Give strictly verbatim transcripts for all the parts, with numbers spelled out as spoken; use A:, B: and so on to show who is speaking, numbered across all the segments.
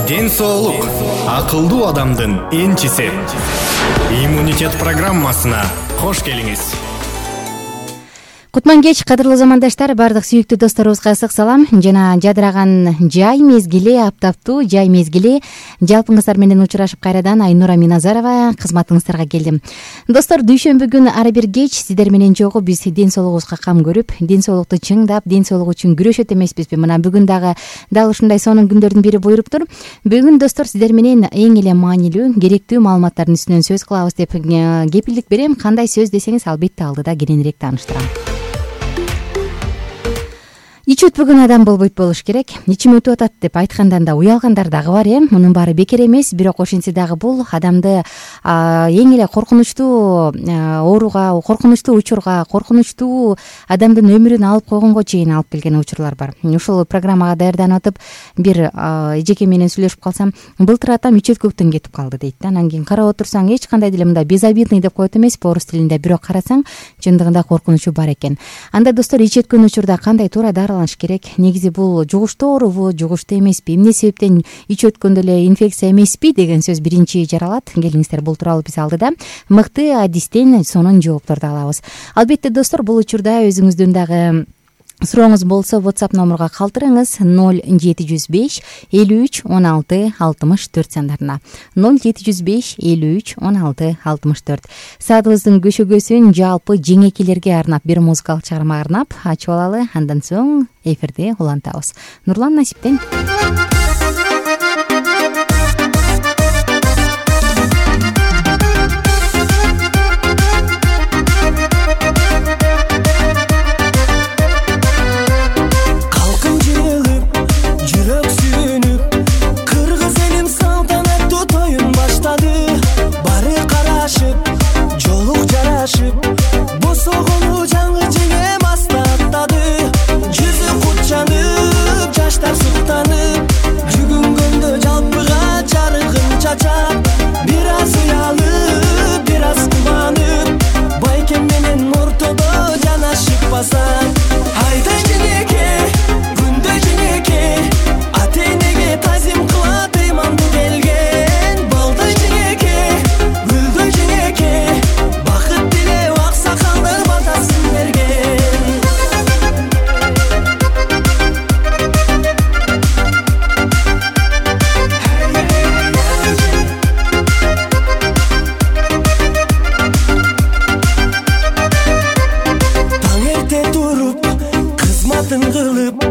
A: Ден соолук акылдуу адамдын энчиси. Иммунитет программасына кош келиңиз.
B: Кутман кеч, кадырлуу замандаштар, бардык сүйүктүү досторубузга ысык салам жана жадыраган жай мезгили, аптаптуу жай мезгили жалпыңыздар менен учурашып кайрадан Айнура Миназарова кызматыңыздарга келдим. Достор, дүйшөмбү күнү ар бир кеч сиздер менен жогу биз ден соолугубузга кам көрүп, ден соолукту чыңдап, ден соолугу үчүн күрөшөт эмеспизби? Мына бүгүн дагы дал ушундай сонун күндөрдүн бири буйруптур. Бүгүн достор сиздер менен эң эле маанилүү, керектүү маалыматтардын үстүнөн сөз кылабыз деп кепилдик берем. Кандай сөз десеңиз, албетте алдыда кененирээк тааныштырам. Ич өтпөгөн адам болбойт болуш керек. Ичим өтүп атат деп айткандан да уялгандар дагы бар, э. Мунун баары бекер эмес, бирок ошентсе дагы бул адамды эң эле коркунучтуу ооруга, коркунучтуу учурга, коркунучтуу адамдын өмүрүн алып койгонго чейин алып келген учурлар бар. Ушул программага даярданып атып, бир эжеке менен сүйлөшүп калсам, былтыр атам ич өткөктөн кетип калды дейт да. Анан кийин карап отурсаң, эч кандай деле мындай безобидный деп коет эмес, орус тилинде, бирок карасаң, чындыгында коркунучу бар экен. Анда достор, ич өткөн учурда кандай туура дарыланыш керек? Негизи бул жугуштуу оорубу, жугуштуу эмеспи, эмне себептен ич өткөндө эле инфекция эмеспи деген сөз биринчи жаралат. Келиңиздер, бул тууралуу биз алдыда мыкты адистен сонун жоопторду алабыз. Албетте достор, бул учурда өзүңүздүн дагы сурооңуз болсо, WhatsApp номурга калтырыңыз ноль жети жүз беш элүү үч он алты алтымыш төрт сандарына. ноль жети жүз беш элүү үч он алты алтымыш төрт. Саатыбыздын көшөгөсүн жалпы жеңекелерге арнап, бир музыкалык чыгарма арнап ачып алалы. Андан соң эфирде улантабыз. Нурлан Насиптен.
C: Босогону жаңы жеңе мастаттады. Жүзү кутчанып, жаштар суктанып, жүгүнгөндө жалпыга жарыгын чачап, бир аз уялып, бир аз кубанып, байкем менен ортодо жанашып басат. Айдай жеңеке, күндөй жеңеке, ата-энеге тазим кылат ыйманды келген. Балдай жеңеке, гүлдөй жеңеке, бакыт тилеп аксакалдар батасын берген. Таң эрте туруп, кызматын кылып,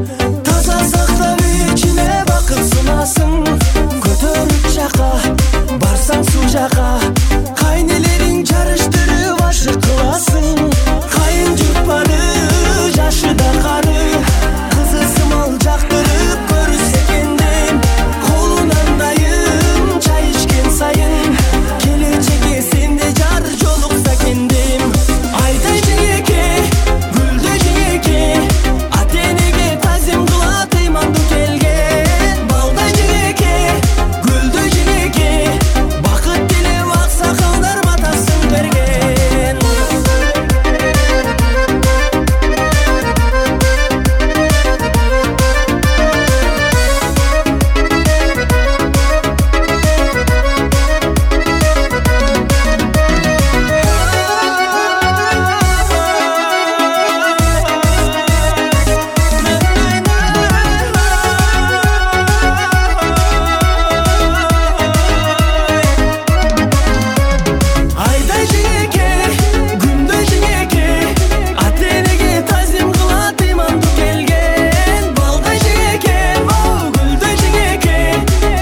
C: таза сактап ичине бакыт сунасың. Көтөрүп жака, барсаң суу жака, кайнелериң жарыштырып ашык кыласың. Кайын жутпады, жашы да кары, кызы сымал жактырып көрүсө экендим. Колунан дайым чай ичкен сайын, келечекке сенде жар жолукса экендим. Айдай жеңеке, гүлдөй жеңеке, ата-энеге тазим кылат ыйманды келген. Балдай жеңеке, гүлдөй жеңеке, бакыт тилеп аксакалдар батасын берген. Айдай жеңеке, күндөй жеңеке, ата-энеге тазим кылат ыйманды келген. Балдай жеңеке, гүлдөй жеңеке,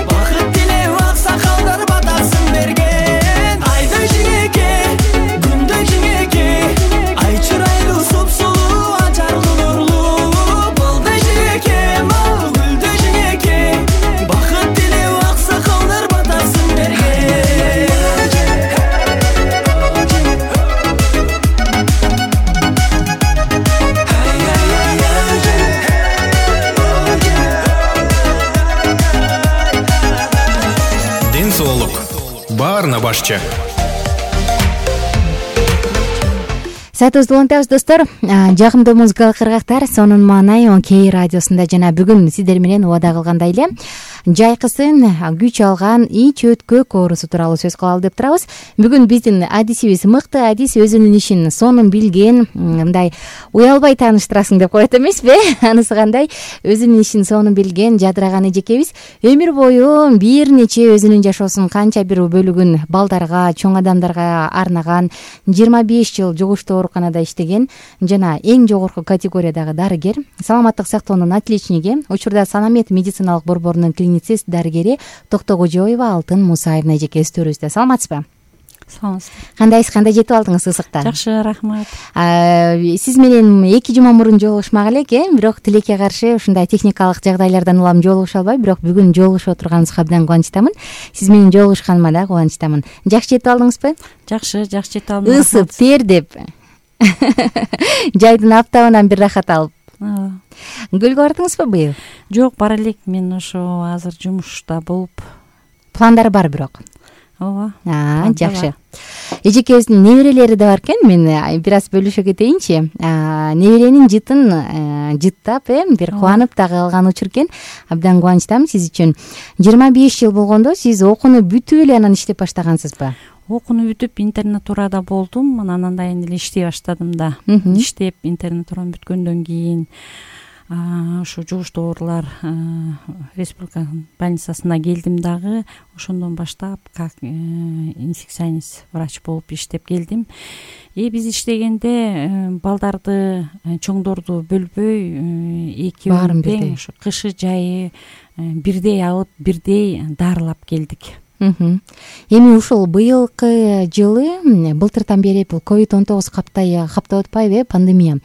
C: бакыт тилеп аксакалдар батасын берген. Айдай жеңеке, күндөй жеңеке, ай чырайлуу супсулуу, ажарлуу нурлуу. Балдай жеңеке, гүлдөй жеңеке, бакыт тилеп аксакалдар батасын берген.
A: Ден соолук баарына башчы.
B: Саатыбызды улантабыз достор. Жагымдуу музыкалык ыргактар сонун маанай он кей радиосунда жана бүгүн сиздер менен убада кылгандай эле жайкысын күч алган ич өткөк оорусу тууралуу сөз кылалы деп турабыз. Бүгүн биздин адисибиз мыкты адис, өзүнүн ишин сонун билген, мындай уялбай тааныштырасың деп коет эмеспи? Анысы кандай? Өзүнүн ишин сонун билген, жадыраган эжекебиз өмүр бою бир нече өзүнүн жашоосунун канча бир бөлүгүн балдарга, чоң адамдарга арнаган, жыйырма беш жыл жугуштуу ооруканада иштеген жана эң жогорку категориядагы дарыгер, саламаттык сактоонун отличниги, учурда Санамед медициналык борборунун клиницист дарыгери Токтогожоева Алтын Мусаевна эжекебиз төрүбүздө. Саламатсызбы?
D: Саламатсызбы.
B: Кандайсыз, кандай жетип алдыңыз ысыкта?
D: Жакшы, рахмат.
B: Сиз менен эки жума мурун жолугушмак элек, э, бирок тилекке каршы ушундай техникалык жагдайлардан улам жолугуша албай, бирок бүгүн жолугушуп отурганыбызга абдан кубанычтамын. Сиз менен жолугушканыма да кубанычтамын. Жакшы жетип алдыңызбы?
D: Жакшы, жакшы жетип алдым.
B: Ысып, тердеп, жайдын аптабынан бир рахат алып. Көлгө бардыңызбы быйыл?
D: Жок, бара элек. Мен ошо азыр жумушта болуп.
B: Пландар бар бирок.
D: Ооба.
B: Жакшы. Эжекебиздин неберелери да бар экен. Мен бир аз бөлүшө кетейинчи. Неберенин жытын жыттап, э, бир кубанып дагы калган учур экен. Абдан кубанычтамын сиз үчүн. жыйырма беш жыл болгондо сиз окууну бүтүп эле анан иштеп баштагансызбы?
D: Окууну бүтүп интернатурада болдум. Анан андай эле иштей баштадым да. Иштеп интернатураны бүткөндөн кийин ошо жугуштуу оорулар республика больницасына келдим дагы. Ошондон баштап как инфекционист врач болуп иштеп келдим. И биз иштегенде балдарды, чоңдорду бөлбөй, экөө тең ошо кышы жайы бирдей алып, бирдей дарылап келдик.
B: Эми ушул быйылкы жылы, былтыртан бери бул ковид он тогуз каптай каптап атпайбы, пандемия.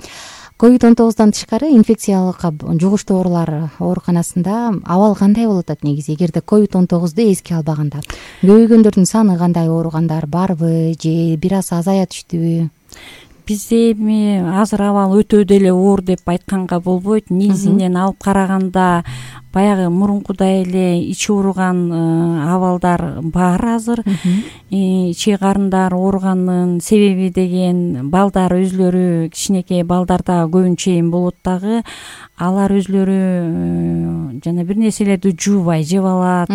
B: ковид он тогуздан тышкары инфекциялык жугуштуу оорулар ооруканасында абал кандай болуп атат негизи? Эгерде ковид он тогузду эске албаганда көбөйгөндөрдүн саны кандай, ооругандар барбы же бир аз азая түштүбү?
D: Бизде эми азыр абал өтө деле оор деп айтканга болбойт. Негизинен алып караганда баягы мурункудай эле ичи ооруган абалдар бар азыр. Ичи карындар ооруганын себеби деген балдар өзлөрү, кичинекей балдарда көбүнчө эми болот дагы. Алар өзлөрү жана бир нерселерди жуубай жеп алат,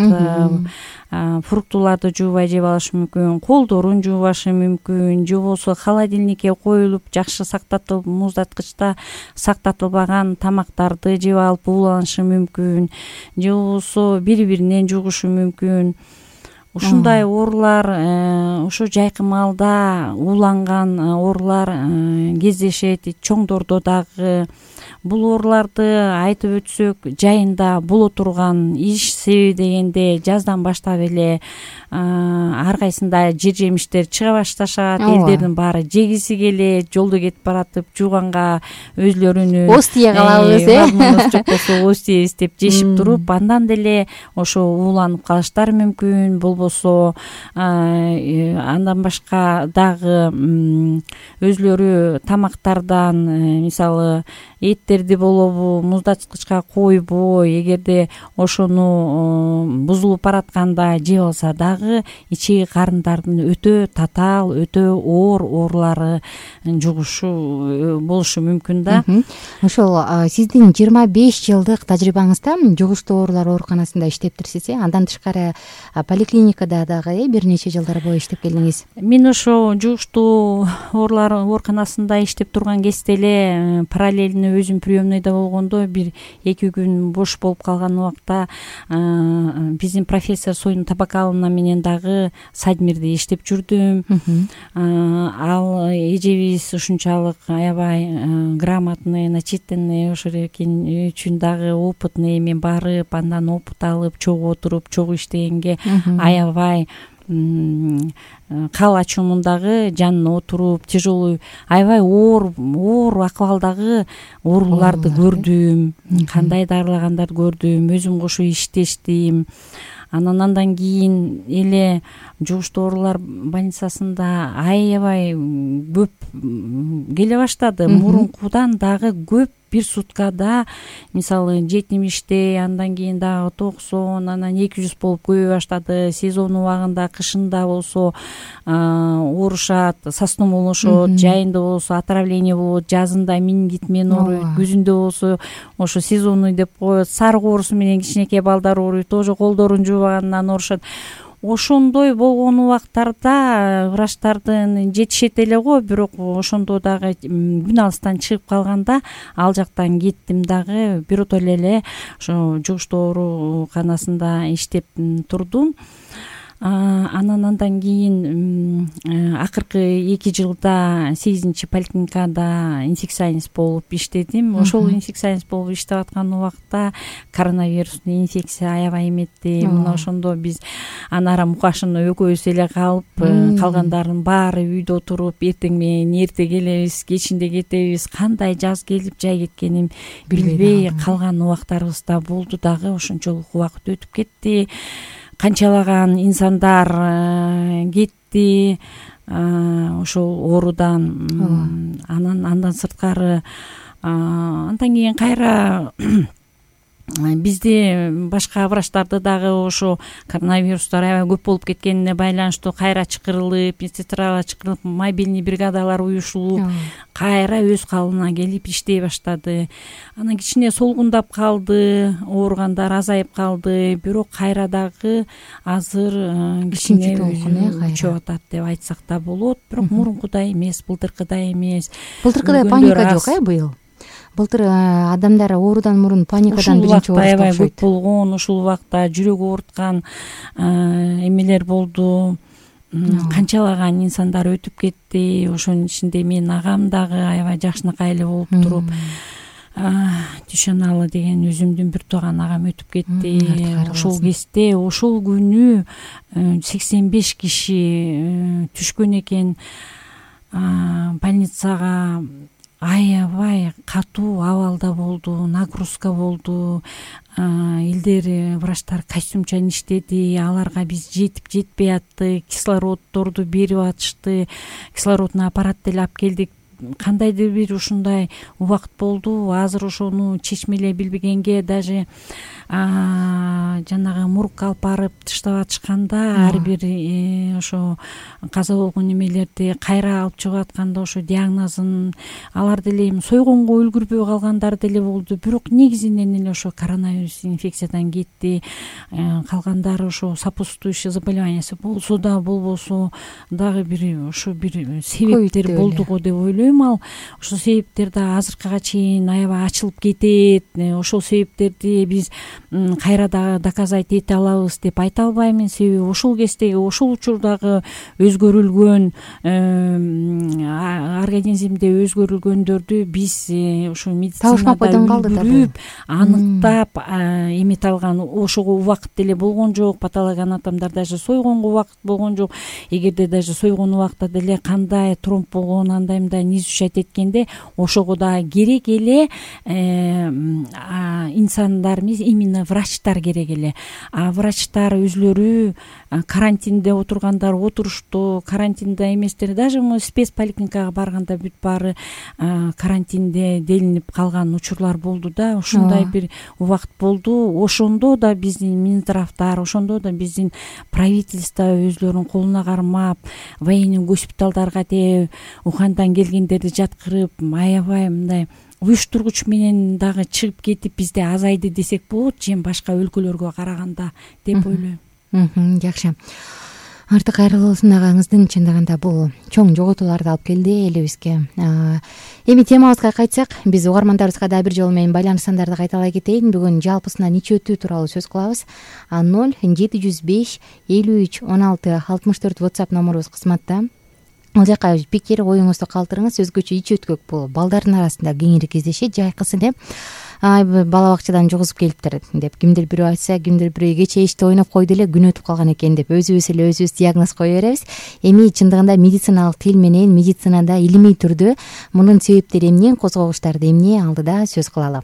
D: фруктуларды жуубай жеп алышы мүмкүн, колдорун жуубашы мүмкүн, же болбосо холодильникке коюлуп жакшы сактатылып, муздаткычта сактатылбаган тамактарды жеп алып ууланышы мүмкүн, же болбосо бири-биринен жугушу мүмкүн. Ушундай оорулар ошо жайкы маалда ууланган оорулар кездешет. Чоңдордо дагы бул ооруларды айтып өтсөк, жайында боло турган иш себеби дегенде жаздан баштап эле ар кайсында жер жемиштер чыга башташат. Элдердин баары жегиси келет, жолдо кетип баратып жууганга өзлөрүнүн
B: оз тие калабыз, э,
D: жок болсо оз тиебиз деп жешип туруп, андан деле ошо ууланып калыштары мүмкүн. Болбосо андан башка дагы өзлөрү тамактардан, мисалы эттерди болобу муздаткычка койбой, эгерде ошону бузулуп баратканда жеп алса дагы ичи карындардын өтө татаал, өтө оор оорулары жугушу болушу мүмкүн да.
B: Ошол сиздин жыйырма беш жылдык тажрыйбаңызда жугуштуу оорулар ооруканасында иштептирсиз, э? Андан тышкары поликлиникада дагы бир нече жылдар бою иштеп келдиңиз.
D: Мен ошо жугуштуу оорулар ооруканасында иштеп турган кезде эле параллельно өзүм приемныйда болгондо бир эки күн бош болуп калган убакта биздин профессор Союн Табакаловна менен дагы Садмирде иштеп жүрдүм. Ал эжебиз ушунчалык аябай грамотный, начитанный, ошол үчүн дагы опытный, эми барып андан опыт алып, чогуу отуруп, чогуу иштегенге аябай кал ачуумундагы жанына отуруп, тяжелый, аябай оор оор акыбалдагы ооруларды көрдүм, кандай дарылагандарды көрдүм, өзүм кошо иштештим. анан андан кийин эле жугуштуу оорулар больницасында аябай көп келе баштады. Мурункудан дагы көп. Бир суткада мисалы жетимиштей, андан кийин дагы токсон, анан эки жүз болуп көбөй баштады. Сезон убагында, кышында болсо оорушат, состум болушот, жайында болсо отравление болот, жазында менингит менен ооруйт, күзүндө болсо ошо сезонный деп коет. Сарык оорусу менен кичинекей балдар ооруйт, тоже колдорун жуубагандан оорушат. Ошондой болгон убактарда врачтардын жетишет эле го, бирок ошондо дагы күн алыстан чыгып калганда ал жактан кеттим дагы биротоло эле ошо жугуштуу ооруканасында иштеп турдум. Анан андан кийин акыркы эки жылда сегизинчи поликлиникада инфекционист болуп иштедим. Ошол инфекционист болуп иштеп аткан убакта коронавирустуу инфекция аябай эметти. Мына ошондо биз Анара Мукашина экөөбүз эле калып, калгандардын баары үйдө отуруп, эртең менен эрте келебиз, кечинде кетебиз, кандай жаз келип жай кеткенин билбей калган убактарыбыз да болду дагы. Ошончолук убакыт өтүп кетти. Канчалаган инсандар кетти ошол оорудан. Анан андан сырткары андан кийин кайра бизде башка врачтарды дагы ошо коронавирустар аябай көп болуп кеткенине байланыштуу кайра чакырылып, медсестралар чакырылып, мобильный бригадалар уюшулуп, кайра өз калыбына келип иштей баштады. Анан кичине солгундап калды, ооругандар азайып калды, бирок кайра дагы азыр кичине күчөп атат деп айтсак да болот. Бирок мурункудай эмес, былтыркыдай эмес.
B: Былтыркыдай паника жок э быйыл? Былтыр адамдар оорудан мурун паникадан биринчи оорушат.
D: Аябай көп болгон, ушул убакта жүрөк ооруткан эмелер болду. Канчалаган инсандар өтүп кетти. Ошонун ичинде менин агам дагы аябай жакшынакай эле болуп туруп, Дүйшөналы деген өзүмдүн бир тууган агам өтүп кетти. Ошол кезде, ошол күнү сексен беш киши түшкөн экен больницага. Аябай катуу абалда болду, нагрузка болду. Илдери врачтар костюмчан иштеди, аларга биз жетип жетпей атты, кислороддорду берип атышты, кислородный аппарат деле алып келдик. Кандайдыр бир ушундай убакыт болду. Азыр ошону чечмелей билбегенге даже жанагы мурукка алып барып тыштап атышканда, ар бир ошо каза болгон эмелерди кайра алып чыгып атканда ошо диагнозун алар деле эми сойгонго үлгүрбөй калгандар деле болду. Бирок негизинен эле ошо коронавирус инфекциядан кетти. Калгандары ошо сопутствующий заболеваниясы болсо да болбосо дагы бир ошо бир себептер болду го деп ойлойм. Ал ошол себептер да азыркыга чейин аябай ачылып кетет. Ошол себептерди биз кайра дагы доказать эте алабыз деп айта албаймын. Себеби ошол кездеги, ошол учурдагы өзгөрүлгөн организмде өзгөрүлгөндөрдү биз ошо медицинада билип, аныктап эмете алган ошого убакыт деле болгон жок. Патологоанатомдор даже сойгонго убакыт болгон жок. Эгерде даже сойгон убакта деле кандай тромб болгон, андай мындай не изучать эткенде ошого да керек эле инсандар эмес, именно врачтар керек эле. А врачтар өзлөрү карантинде отургандар отурушту, карантинде эместер даже спецполиклиникага барганда бүт баары карантинде делинип калган учурлар болду да. Ушундай бир убакыт болду. Ошондо да биздин Минздравдар, ошондо да биздин правительство өзлөрүнүн колуна кармап, военный госпиталдарга деп Ухандан келгендерди жаткырып, аябай мындай уюштургуч менен дагы чыгып кетип бизде азайды десек болот, жем башка өлкөлөргө караганда деп ойлойм.
B: Жакшы. Артык кайрылуусун агаңыздын чындыгында бул чоң жоготууларды алып келди элибизге. Эми темабызга кайтсак, биз угармандарыбызга дагы бир жолу менен байланыш сандарды кайталай кетейин. Бүгүн жалпысынан ич өтүү тууралуу сөз кылабыз. ноль жети жүз беш элүү үч он алты алтымыш төрт WhatsApp номурубуз кызматта. Ал жака пикир, оюңузду калтырыңыз. Өзгөчө ич өткөк бул балдардын арасында кеңири кездешет. Жайкысын деп бала бакчадан жугузуп келиптир деп кимдир бирөө айтса, кимдир бирөө кечээ ичте ойноп койду эле күн өтүп калган экен деп өзүбүз эле өзүбүз диагноз кое беребиз. Эми чындыгында медициналык тил менен, медицинада илимий түрдө мунун себептери эмне, козгогучтарды эмне алдыда сөз кылалы.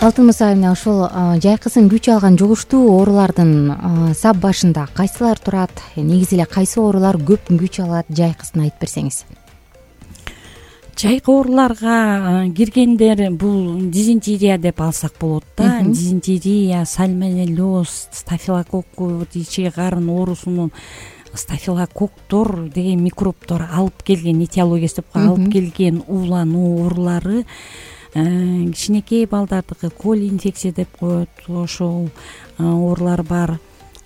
B: Алтын Муса айымына ошол жайкысын күч алган жугуштуу оорулардын сап башында кайсылар турат? Негизи эле кайсы оорулар көп күч алат? Жайкысын айтып берсеңиз.
D: Жайкы ооруларга киргендер бул дизентерия деп алсак болот да. Дизентерия, сальмонеллез, стафилококку, ички карын оорусунун стафилококктор деген микробтор алып келген, этиологиясы деп алып келген уулануу оорулары, кичинекей балдардыкы коли инфекция деп коет, ошол оорулар бар.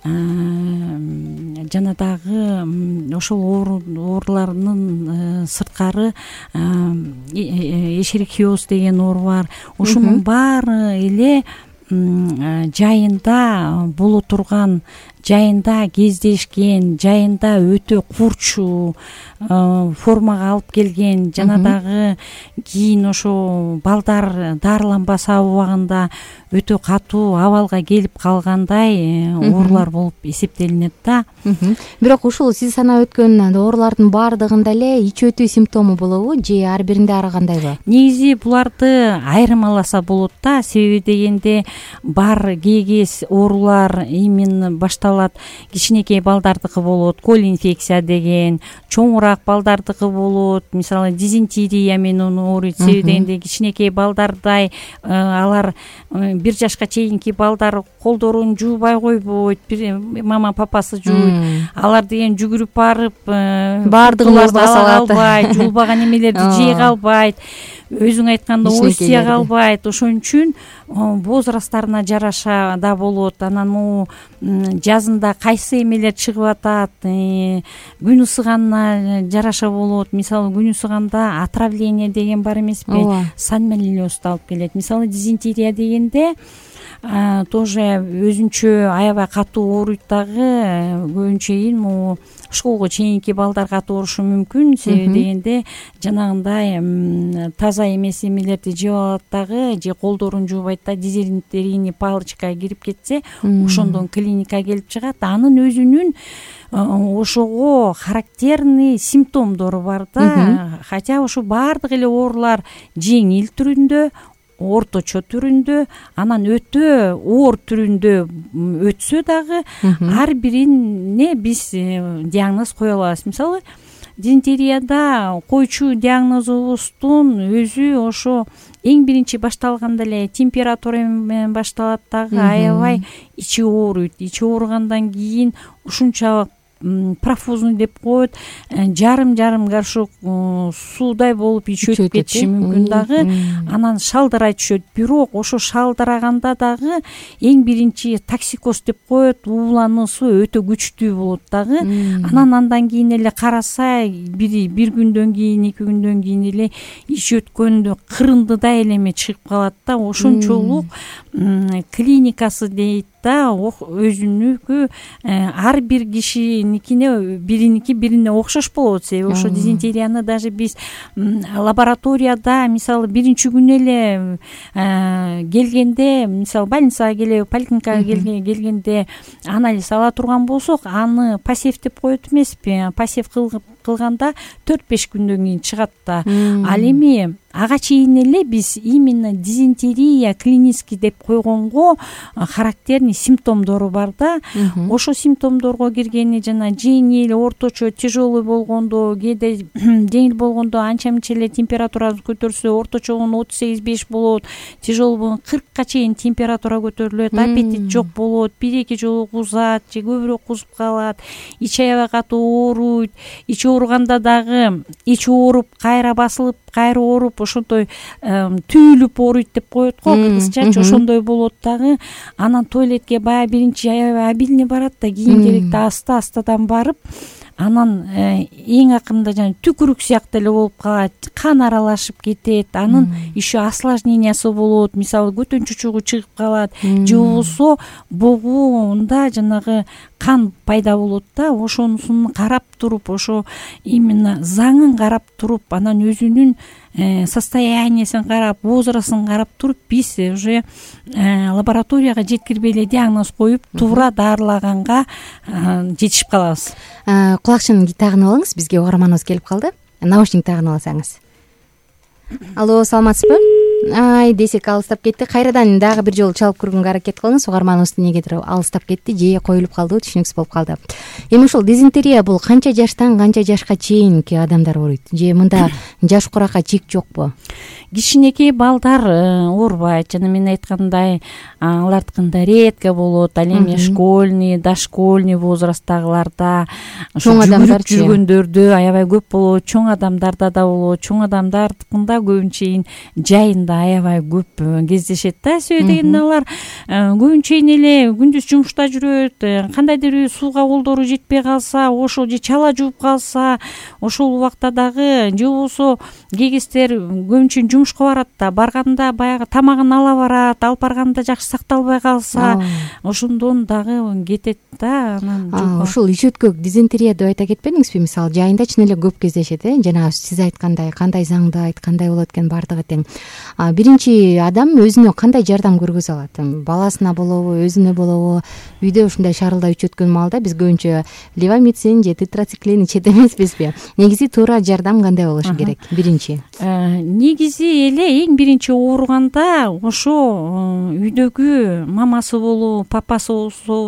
D: Жана дагы ошол оорулардын сырткары эшерихиоз деген оору бар. Ошонун баары эле жайында боло турган, жайында кездешкен, жайында өтө курч формага алып келген, жана дагы кийин ошо балдар дарыланбаса убагында өтө катуу абалга келип калгандай оорулар болуп эсептелинет да.
B: Бирок ушул сиз санап өткөн оорулардын баардыгында эле ич өтүү симптому болобу же ар биринде ар кандайбы?
D: Негизи буларды айырмаласа болот да. Себеби дегенде бар кээге оорулар именно башталат, кичинекей балдардыкы болот, кол инфекция деген, чоңураак балдардыкы болот, мисалы дизентерия менен ооруйт. Себеби дегенде кичинекей балдардай алар бир жашка чейинки балдар колдорун жуубай койбойт, мама папасы жууйт. Алар деген жүгүрүп барып
B: баардыгын ала
D: албайт, жуулбаган эмелерди жей калбайт, өзүң айтканда ой сыя калбайт. Ошон үчүн возрасттарына жараша да болот. Анан могу жазында кайсы эмелер чыгып атат, күн ысыганына жараша болот. Мисалы күн ысыганда отравление деген бар эмеспи, сальмонеллезди алып келет. Мисалы дизентерия дегенде тоже өзүнчө аябай катуу ооруйт дагы. Көбүнчө могу школго чейинки балдар катуу оорушу мүмкүн. Себеби дегенде жанагындай таза эмес эмелерди жеп алат дагы, же колдорун жуубайт да, дизентерийный палочка кирип кетсе, ошондон клиникага келип чыгат. Анын өзүнүн ошого характерный симптомдору бар да. Хотя ошо баардык эле оорулар жеңил түрүндө, орточо түрүндө, анан өтө оор түрүндө өтсө дагы ар бирине биз диагноз кое алабыз. Мисалы дизентерияда койчу диагнозубуздун өзү ошо эң биринчи башталганда эле температура менен башталат дагы, аябай ичи ооруйт. Ичи ооругандан кийин ушунчалык профузный деп коет, жарым-жарым горшок суудай болуп ич өтүп кетиши мүмкүн дагы. Анан шалдырай түшөт. Бирок ошо шалдыраганда дагы эң биринчи токсикоз деп коет, уулануусу өтө күчтүү болот дагы. Анан андан кийин эле караса, бири бир күндөн кийин, эки күндөн кийин эле ич өткөндө кырындыдай элеме чыгып калат да. Ошончолук клиникасы дейт да, өзүнүкү ар бир кишиникине бириники бирине окшош болот. Себеби ошо дизентерияны даже биз лабораторияда мисалы биринчи күнү эле келгенде, мисалы больницага келе, поликлиникага келгенде анализ ала турган болсок, аны пассив деп коет эмеспи, пассив кылганда төрт беш күндөн кийин чыгат да. Ал эми ага чейин эле биз именно дизентерия клинический деп койгонго характерный симптомдору бар да. Ошо симптомдорго киргени жана жеңил, орточо, тяжелый болгондо, кээде жеңил болгондо анча мынча эле температурасы көтөрүлсө, орточогон отуз сегиз беш болот, тяжелый болгон кыркка чейин температура көтөрүлөт, аппетит жок болот, бир эки жолу кузат же көбүрөөк кузуп калат, ич аябай катуу ооруйт. Ич ооруганда дагы ич ооруп, кайра басылып, кайра ооруп, ошондой түйүлүп ооруйт деп коет го кыргызчачы, ошондой болот дагы. Анан туалетке баягы биринчи аябай обильный барат да, кийинчерээкте аста-астадан барып, анан эң акырында жана түкүрүк сыяктуу эле болуп калат, кан аралашып кетет, анын еще осложнениясы болот. Мисалы көтөн чучугу чыгып калат, же болбосо богуунда жанагы кан пайда болот да. Ошонусун карап туруп, ошо именно заңын карап туруп, анан өзүнүн состояниясын карап, возрастын карап туруп, биз уже лабораторияга жеткирбей эле диагноз коюп, туура дарылаганга жетишип калабыз.
B: Кулакчын тагынып алыңыз, бизге угарманыбыз келип калды. Наушник тагынып алсаңыз. Алло, саламатсызбы? ай десек алыстап кетти. Кайрадан дагы бир жолу чалып көргөнгө аракет кылыңыз. Угарманыбыз эмнегедир алыстап кетти же коюлуп калдыбы түшүнүксүз болуп калды. Эми ушул дизентерия бул канча жаштан канча жашка чейинки адамдар ооруйт же мында жаш куракка чек жокпу?
D: Кичинекей балдар оорубайт. Жана мен айткандай алардыкында редко болот. Ал эми школьный, дошкольный возрасттагыларда,
B: чоң адамдар
D: жүргөндөрдө аябай көп болот. Чоң адамдарда да болот. Чоң адамдардыкында көбүнчө жайында аябай көп кездешет да. Себеби дегенде алар көбүнчө эле күндүз жумушта жүрөт. Кандайдыр бир сууга колдору жетпей калса, ошол же чала жууп калса, ошол убакта дагы же болбосо кээ кездер көбүнчө жумушка барат да, барганда баягы тамагын ала барат, алып барганда жакшы сакталбай калса, ошондон дагы кетет да. Анан
B: ушул ичөткө дизентерия деп айта кетпедиңизби? Мисалы жайында чын эле көп кездешет, э? Жана сиз айткандай кандай заңдайт, кандай болот экен бардыгы тең. Биринчи адам өзүнө кандай жардам көргөзө алат? Баласына болобу, өзүнө болобу? Үйдө ушундай шарылдап ичөткөн маалда биз көбүнчө левомицин же тетрациклин ичет эмеспизби? Негизи туура жардам кандай болушу керек? Биринчи
D: негизи эле эң биринчи ооруганда ошо үйдөгү мамасы болобу, папасы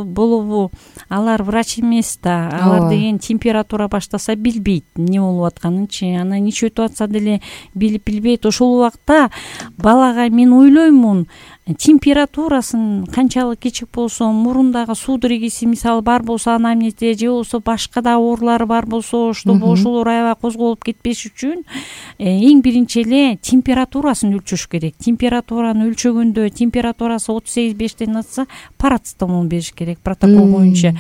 D: болобу, алар врач эмес да. Алар деген температура баштаса билбейт эмне болуп атканынчы. Анан ичип өтүп атса деле билип билбейт. Ошол убакта балага мен ойлоймун, температурасын канчалык кичик болсо, мурундагы судорогиси мисалы бар болсо аны эмнете, же болбосо башка да оорулары бар болсо, чтобы ошолор аябай козголуп кетпеш үчүн эң биринчи эле температурасын өлчөш керек. Температураны өлчөгөндө температурасы отуз сегиз бештен атса парацетамол бериш керек протокол боюнча.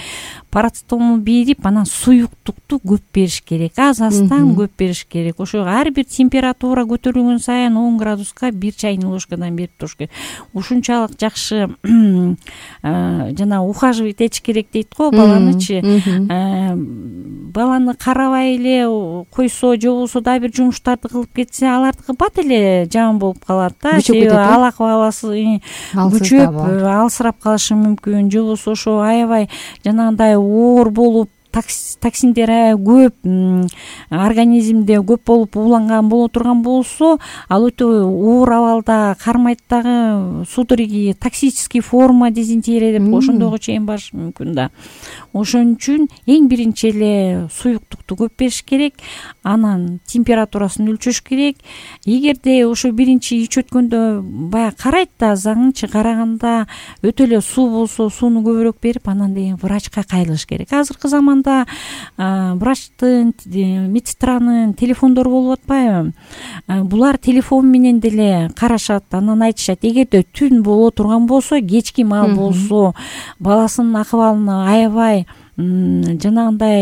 D: Парацетамол берип, анан суюктукту көп бериш керек, аз аздан көп бериш керек. Ошо ар бир температура көтөрүлгөн сайын он градуска бир чайный ложкадан берип туруш керек. Ушунчалык жакшы жана ухаживать этиш керек дейт го баланычы. Баланы карабай эле койсо же болбосо дагы бир жумуштарды кылып кетсе, алардыкы бат эле жаман болуп калат да. Себеби ал акыбаласы күчөп, алсырап калышы мүмкүн. Же болбосо ошо аябай жанагындай оор болуп, токсиндер көп организмде көп болуп ууланган боло турган болсо, ал өтө оор абалда кармайт дагы, судороги токсический форма дизентерия деп ошондойго чейин барышы мүмкүн да. Ошон үчүн эң биринчи эле суюктукту көп бериш керек, анан температурасын өлчөш керек. Эгерде ошо биринчи ич өткөндө баягы карайт да, заңынчы караганда өтө эле суу болсо сууну көбүрөөк берип, анан деген врачка кайрылыш керек. Азыркы заманда врачтын, медсестранын телефондору болуп атпайбы? Булар телефон менен деле карашат, анан айтышат, эгерде түн боло турган болсо, кечки маал болсо, баласынын акыбалына аябай жанагындай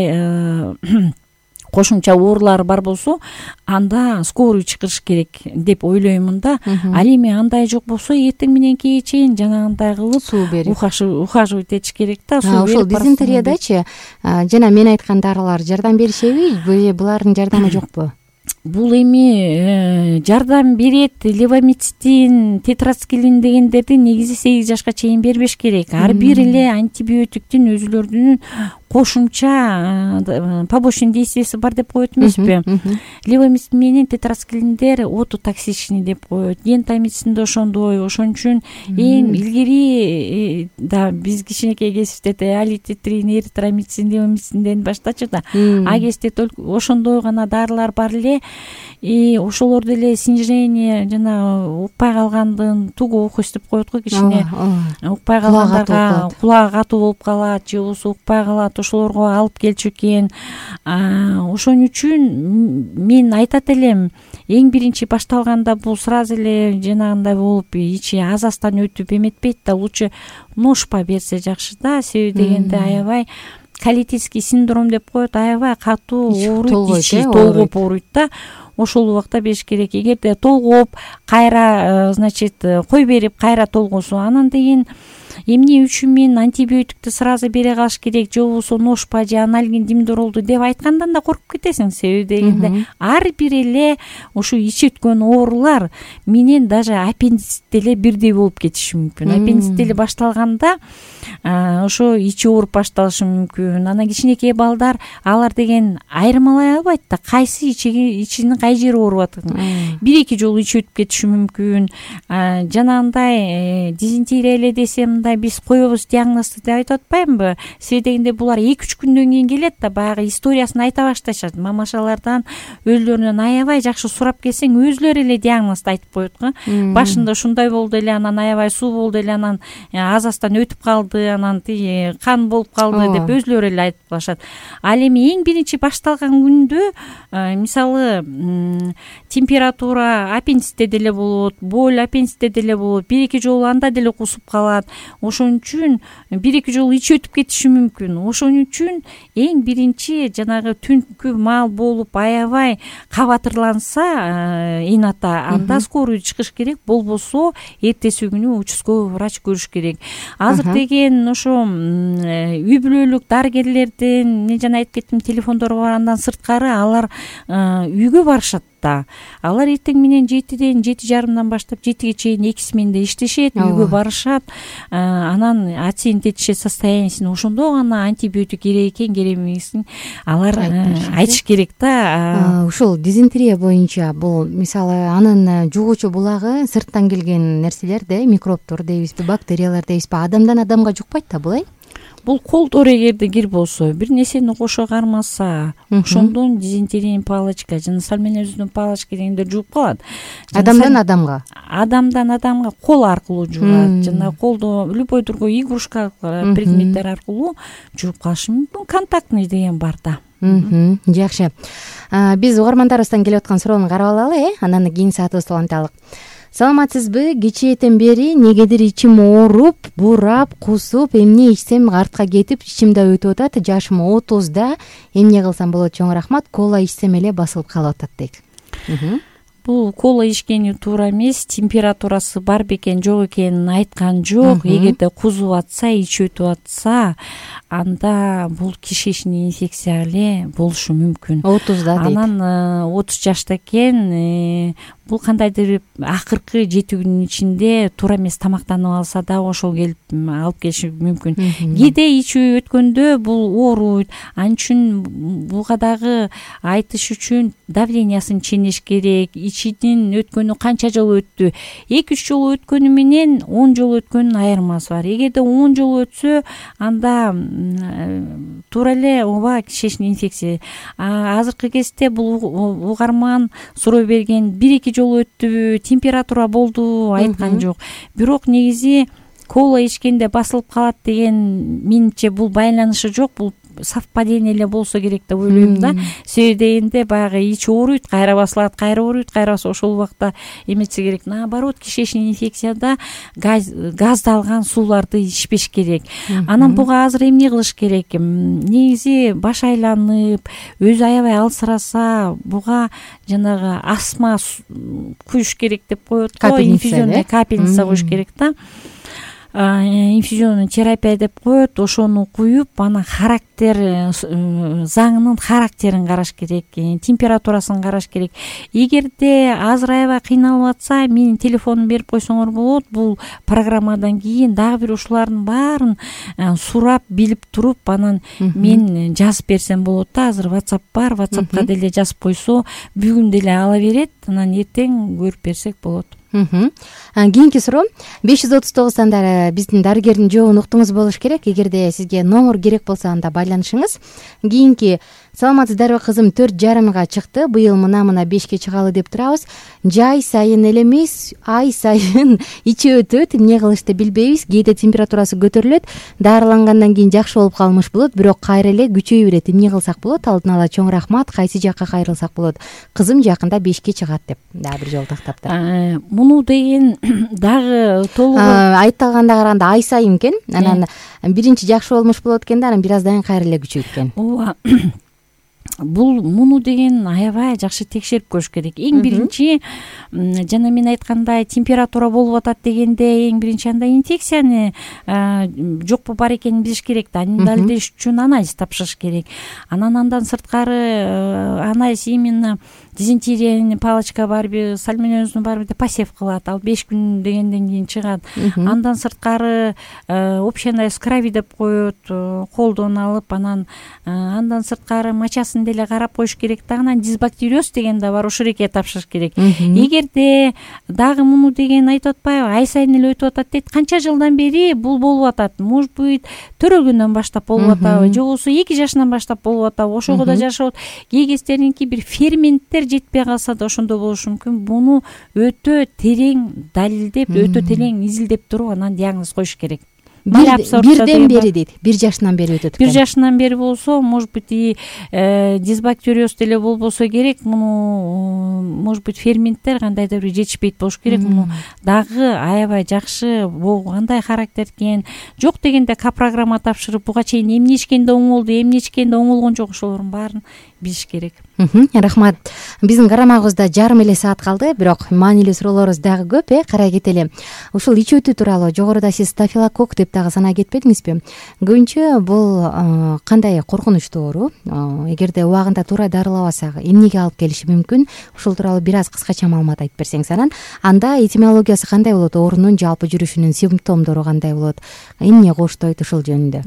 D: кошумча оорулары бар болсо, анда скорый чакырыш керек деп ойлоймун да. Ал эми андай жок болсо, эртең менен кечке чейин жанагындай кылып суу берип ухаживать этиш керек да.
B: Ошол дизентериядачы жана мен айткан дарылар жардам беришеби же булардын жардамы жокпу?
D: Бул эми жардам берет. Левомицин, тетрациклин дегендерди негизи сегиз жашка чейин бербеш керек. Ар бир эле антибиотиктин өзүлөрүнүн кошумча побочный действиясы бар деп коет эмеспи? Левомицин менен тетрациклиндер ототоксичный деп коет. Гентамицин да ошондой. Ошон үчүн эң илгери да биз кичинекей кезибизде алититрин, эритромицин, левомицинден баштачу да. А кезде только ошондой гана дарылар бар эле. И ошолор деле снижение жана укпай калгандын тугу окуйс деп коет го кичине. Укпай калгандарга кулагы катуу болуп калат, же болбосо укпай калат, ошолорго алып келчү экен. Ошон үчүн мен айтат элем, эң биринчи башталганда бул сразу эле жанагындай болуп ичи аз-аздан өтүп эметпейт да, лучше ношпа берсе жакшы да. Себеби дегенде аябай колитический синдром деп коет, аябай катуу ооруйт, ичи толгоп ооруйт да. Ошол убакта бериш керек. Эгерде толгоп, кайра, значит, кой берип, кайра толгосо, анан деген эмне үчүн мен антибиотикти сразу бере калыш керек, же болбосо ношпа же анальгин димдоролду деп айткандан да коркуп кетесиң. Себеби дегенде ар бир эле ушу ич өткөн оорулар менен даже аппендицит деле бирдей болуп кетиши мүмкүн. Аппендицит деле башталганда ошо ичи ооруп башталышы мүмкүн. Анан кичинекей балдар алар деген айырмалай албайт да, кайсы ичиги ичинин кай жери ооруп атат. Бир эки жолу ичи өтүп кетиши мүмкүн. Жанагындай дизентерия эле десе мындай биз коебуз диагнозду деп айтып атпаймынбы? Себеби дегенде булар эки үч күндөн кийин келет да, баягы историясын айта башташат. Мамашалардан өздөрүнөн аябай жакшы сурап келсең, өзүлөрү эле диагнозду айтып коет го. Башында ушундай болду эле, анан аябай суу болду эле, анан азастан өтүп калды, анан тиги кан болуп калды деп өзүлөрү эле айтып калышат. Ал эми эң биринчи башталган күндө мисалы температура аппендицитте деле болот, боль аппендицитте деле болот, бир эки жолу анда деле кусуп калат. Ошон үчүн бир эки жолу ич өтүп кетиши мүмкүн. Ошон үчүн эң биринчи жанагы түнкү маал болуп аябай кабатырланса ината, анда скорый чыгыш керек, болбосо эртеси күнү участковый врач көрүш керек. Азыр деген ошо үй бүлөлүк дарыгерлердин, мен жана айтып кеттим, телефондору бар. Андан сырткары алар үйгө барышат да. Алар эртең менен жетиден, жети жарымдан баштап жетиге чейин эки сменде иштешет, үйгө барышат. Анан оценить этишет состояниясын. Ошондо гана антибиотик керек экен, керек эмесин алар айтыш керек да.
B: Ушул дизентерия боюнча бул мисалы анын жугуучу булагы сырттан келген нерселер да, микробтор дейбизби, бактериялар дейбизби, адамдан адамга жукпайт да бул, э?
D: Бул колдор эгерде кир болсо, бир нерсени кошо кармаса, ошондон дизентериянын палочка жана сальмонеллезин палочка дегендер жугуп калат.
B: Адамдан адамга,
D: адамдан адамга кол аркылуу жугат, жана колдо любой другой игрушка предметтер аркылуу жугуп калышы мүмкүн. Контактный деген бар да.
B: Жакшы. Биз угармандарыбыздан келип аткан суроону карап алалы, э? Анан кийинки саатыбызды уланталы. Саламатсызбы? Кечээден бери негедир ичим ооруп, бурап, кусуп, эмне ичсем артка кетип, ичимде өтүп атат. Жашым отузда. Эмне кылсам болот? Чоң рахмат. Кола ичсем эле басылып калып атат дейт.
D: Бул кола ичкени туура эмес, температурасы бар бекен, жок экенин айткан жок. Эгерде кузуп атса, ичи өтүп атса, анда бул кишечный инфекция эле болушу мүмкүн.
B: отузда дейт.
D: Анан отуз жашта экен, бул кандайдыр акыркы жети күнүн ичинде туура эмес тамактанып алса да ошол келип алып келиши мүмкүн. Кээде ичи өткөндө бул ооруйт. Ал үчүн буга дагы айтыш үчүн давлениясын ченеш керек. Ичинин өткөнү канча жолу өттү? эки үч жолу өткөнү менен он жолу өткөнүнүн айырмасы бар. Эгерде он жолу өтсө, анда туура эле ооба кишечный инфекция. Азыркы кезде бул угарман суроо берген бир эки жолу өттүбү, температура болду айткан жок. Бирок негизи кола ичкенде басылып калат деген менимче бул байланышы жок. Бул совпадение эле болсо керек деп ойлойм да. Себеби дегенде баягы ич ооруйт, кайра басылат, кайра ооруйт, кайра басылат. Ошол убакта эмесе керек. Наоборот, кишечный инфекцияда газ газдалган сууларды ичпеш керек. Анан буга азыр эмне кылыш керек? Негизи баш айланып, өзү аябай алсыраса, буга жанагы астма куюш керек деп коет го, инфузионный капельница куюш керек да. Инфузионный терапия деп коет. Ошону куюп, анан характер заңынын характерин караш керек, температурасын караш керек. Эгерде азыр аябай кыйналып атса, менин телефонумду берип койсоңор болот. Бул программадан кийин дагы бир ушулардын баарын сурап, билип туруп, анан мен жазып берсем болот да. Азыр WhatsApp бар, WhatsAppка деле жазып койсо, бүгүн деле ала берет, анан эртең көрүп берсек болот.
B: Кийинки суроо беш жүз отуз тогуздан биздин дарыгердин жообун уктуңуз болуш керек. Эгерде сизге номер керек болсо, анда байланышыңыз. Кийинки: саламатсыздарбы кызым, төрт жарымга чыкты, быйыл мына-мына бешке чыгалы деп турабыз. Жай сайын эле эмес, ай сайын ичи өтөт, эмне кылышты билбейбиз. Кээде температурасы көтөрүлөт, дарылангандан кийин жакшы болуп калмыш болот, бирок кайра эле күчөй берет. Эмне кылсак болот? Алдын ала чоң рахмат. Кайсы жакка кайрылсак болот? Кызым жакында бешке чыгат деп дагы бир жолу тактаптыр.
D: Муну деген дагы толугу
B: айтталганда караганда ай сайын экен. Анан биринчи жакшы болмуш болот экен да, анан бир аздан кийин кайра эле күчөйт экен.
D: Ооба. бул муну деген аябай жакшы текшерип көрүш керек. Эң биринчи жана мен айткандай температура болуп атат дегенде эң биринчи анда инфекцияны жокпу бар экенин билиш керек да. Аны далилдеш үчүн анализ тапшырыш керек. Анан андан сырткары анализ именно дизентериянын палочка барбы, сальмонеллезу барбы деп посев кылат. Ал беш күн дегенден кийин чыгат. Андан сырткары общий анализ крови деп коет, колдон алып, анан андан сырткары мочасын деле карап коюш керек да. Анан дисбактериоз деген да бар, ошол эке тапшырыш керек. Эгерде дагы муну деген айтып атпайбы, ай сайын эле өтүп атат дейт. Канча жылдан бери бул болуп атат? Может быть, төрөлгөндөн баштап болуп атабы, же болбосо эки жашынан баштап болуп атабы? Ошого да жашап кей кездеринки бир ферменттер жетпей калса да ошондо болушу мүмкүн. Буну өтө терең далилдеп, өтө терең изилдеп туруп анан диагноз коюш керек.
B: Бирден бери дейт, бир жашынан бери өтөт экен.
D: Бир жашынан бери болсо, может быть, и дисбактериоз деле болбосо керек. Муну, может быть, ферменттер кандайдыр бир жетишпейт болуш керек. Муну дагы аябай жакшы кандай характер экен, жок дегенде капрограмма тапшырып, буга чейин эмне ичкенде оңолду, эмне ичкенде оңолгон жок, ошолордун баарын билиш керек.
B: Рахмат. Биздин карамагыбызда жарым эле саат калды, бирок маанилүү суроолорубуз дагы көп, э, карай кетели. Ушул ич өтүү тууралуу жогоруда сиз стафилококк деп дагы санай кетпедиңизби? Көбүнчө бул кандай коркунучтуу оору? Эгерде убагында туура дарылабасак, эмнеге алып келиши мүмкүн? Ушул тууралуу бир аз кыскача маалымат айтып берсеңиз анан. Анда этимологиясы кандай болот? Оорунун жалпы жүрүшүнүн симптомдору кандай болот? Эмне коштойт ушул жөнүндө?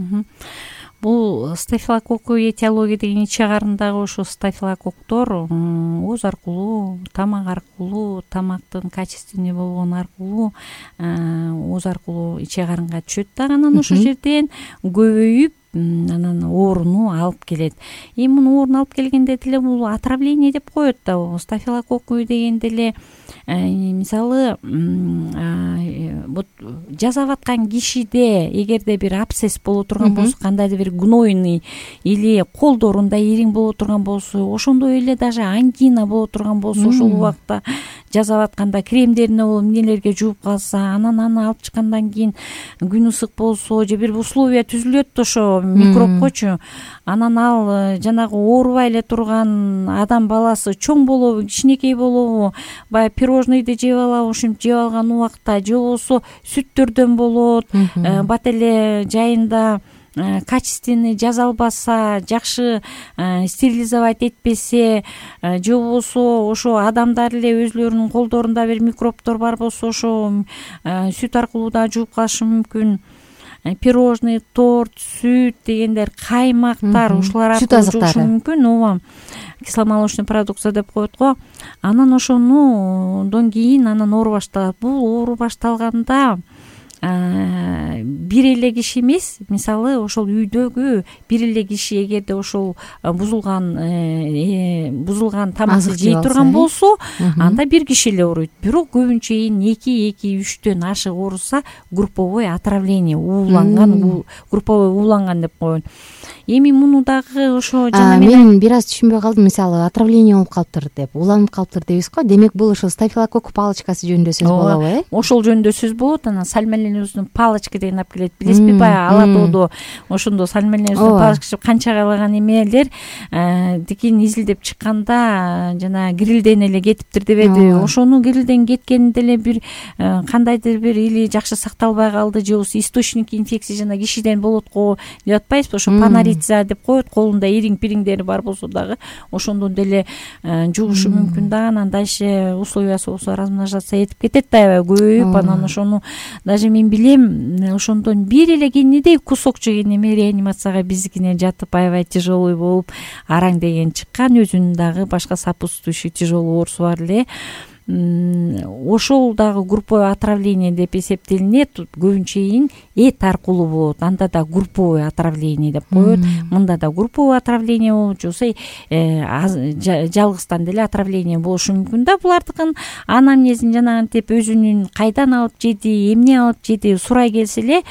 D: Бул стафилококк этиология деген ич чыгарындагы ошо стафилококктор ооз аркылуу, тамак аркылуу, тамактын качественный болгону аркылуу, ооз аркылуу иче карынга түшөт да. Анан ошол жерден көбөйүп анан ооруну алып келет. Эми муну ооруну алып келгенде деле бул отравление деп коет да. Стафилококк дегенде эле мисалы вот жасап аткан кишиде эгерде бир абсцесс боло турган болсо, кандайдыр бир гнойный или колдорунда ириң боло турган болсо, ошондой эле даже ангина боло турган болсо, ошол убакта жасап атканда кремдерине болуп эмнелерге жууп калса, анан аны алып чыккандан кийин күн ысык болсо же бир условия түзүлөт ошо микробкочу, анан ал жанагы оорубай эле турган адам баласы чоң болобу, кичинекей болобу, баягы пирожныйды жеп алабы, ушинтип жеп алган убакта, же болбосо сүттөрдөн болот, бат эле жайында качественный жазалбаса, жакшы стерилизовать этпесе, же болбосо ошо адамдар эле өзлөрүнүн колдорунда бир микробтор бар болсо, ошо сүт аркылуу да жууп калышы мүмкүн. Пирожный, торт, сүт дегендер, каймактар, ушулар аркылуу жуушу мүмкүн. Ооба, кисломолочный продукция деп коет го. Анан ошондон кийин анан оору башталат. Бул оору башталганда бир эле киши эмес, мисалы ошол үйдөгү бир эле киши эгерде ошол бузулган бузулган тамакты жей турган болсо, анда бир киши эле ооруйт. Бирок көбүнчө эки эки үчтөн ашык ооруса, групповой отравление, ууланган, групповой ууланган деп коет. Эми муну дагы ошо жана
B: мен бир аз түшүнбөй калдым. Мисалы отравление болуп калыптыр деп, уланып калыптыр дейбиз го. Демек бул ошол стафилококк палочкасы жөнүндө сөз болобу, э?
D: Ошол жөнүндө сөз болот. Анан сальмонеллезунун палочка деген алып келет. Билесизби, баягы ала тоодо ошондо сальмонеллезунун палочкасы канча кайлаган эмелер дикин изилдеп чыкканда жана грилден эле кетиптир дебеди. Ошону грилден кеткенде эле бир кандайдыр бир или жакшы сакталбай калды, же болбосо источник инфекция жана кишиден болот го деп атпайбызбы? Ошо панорица деп коет, колунда ириң пириңдери бар болсо дагы ошондон деле жугушу мүмкүн да. Анан дальше условиясы болсо размножаться этип кетет да, аябай көбөйүп. Анан ошону даже мен билем, ошондон бир эле кенедей кусок жеген эме реанимацияга биздикине жатып аябай тяжелый болуп, араң деген чыккан, өзүнүн дагы башка сопутствующий тяжелый оорусу бар эле. Ошол дагы групповой отравление деп эсептелинет. Көбүнчө эт аркылуу болот. Анда да групповой отравление деп коет. Мында да групповой отравление болот, же болбосо жалгыздан деле отравление болушу мүмкүн да. Булардыкын анамнезин жанагынтип өзүнүн кайдан алып жеди, эмне алып жеди сурай келсе эле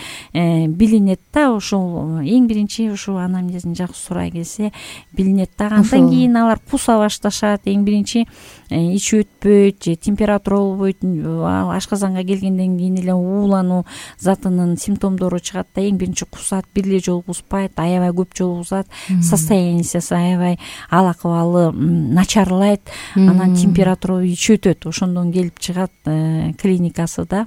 D: билинет да. Ошол эң биринчи ошо анамнезин жакшы сурай келсе билинет да. Андан кийин алар куса башташат. Эң биринчи ич өтпөйт, же температура болбойт, ашказанга келгенден кийин эле уулануу затынын симптомдору чыгат да, эң биринчи кусат, бир эле жолу куспайт, аябай көп жолу кусат, состояниясы аябай ал акыбалы начарлайт, анан температура күчөтөт, ошондон келип чыгат клиникасы да.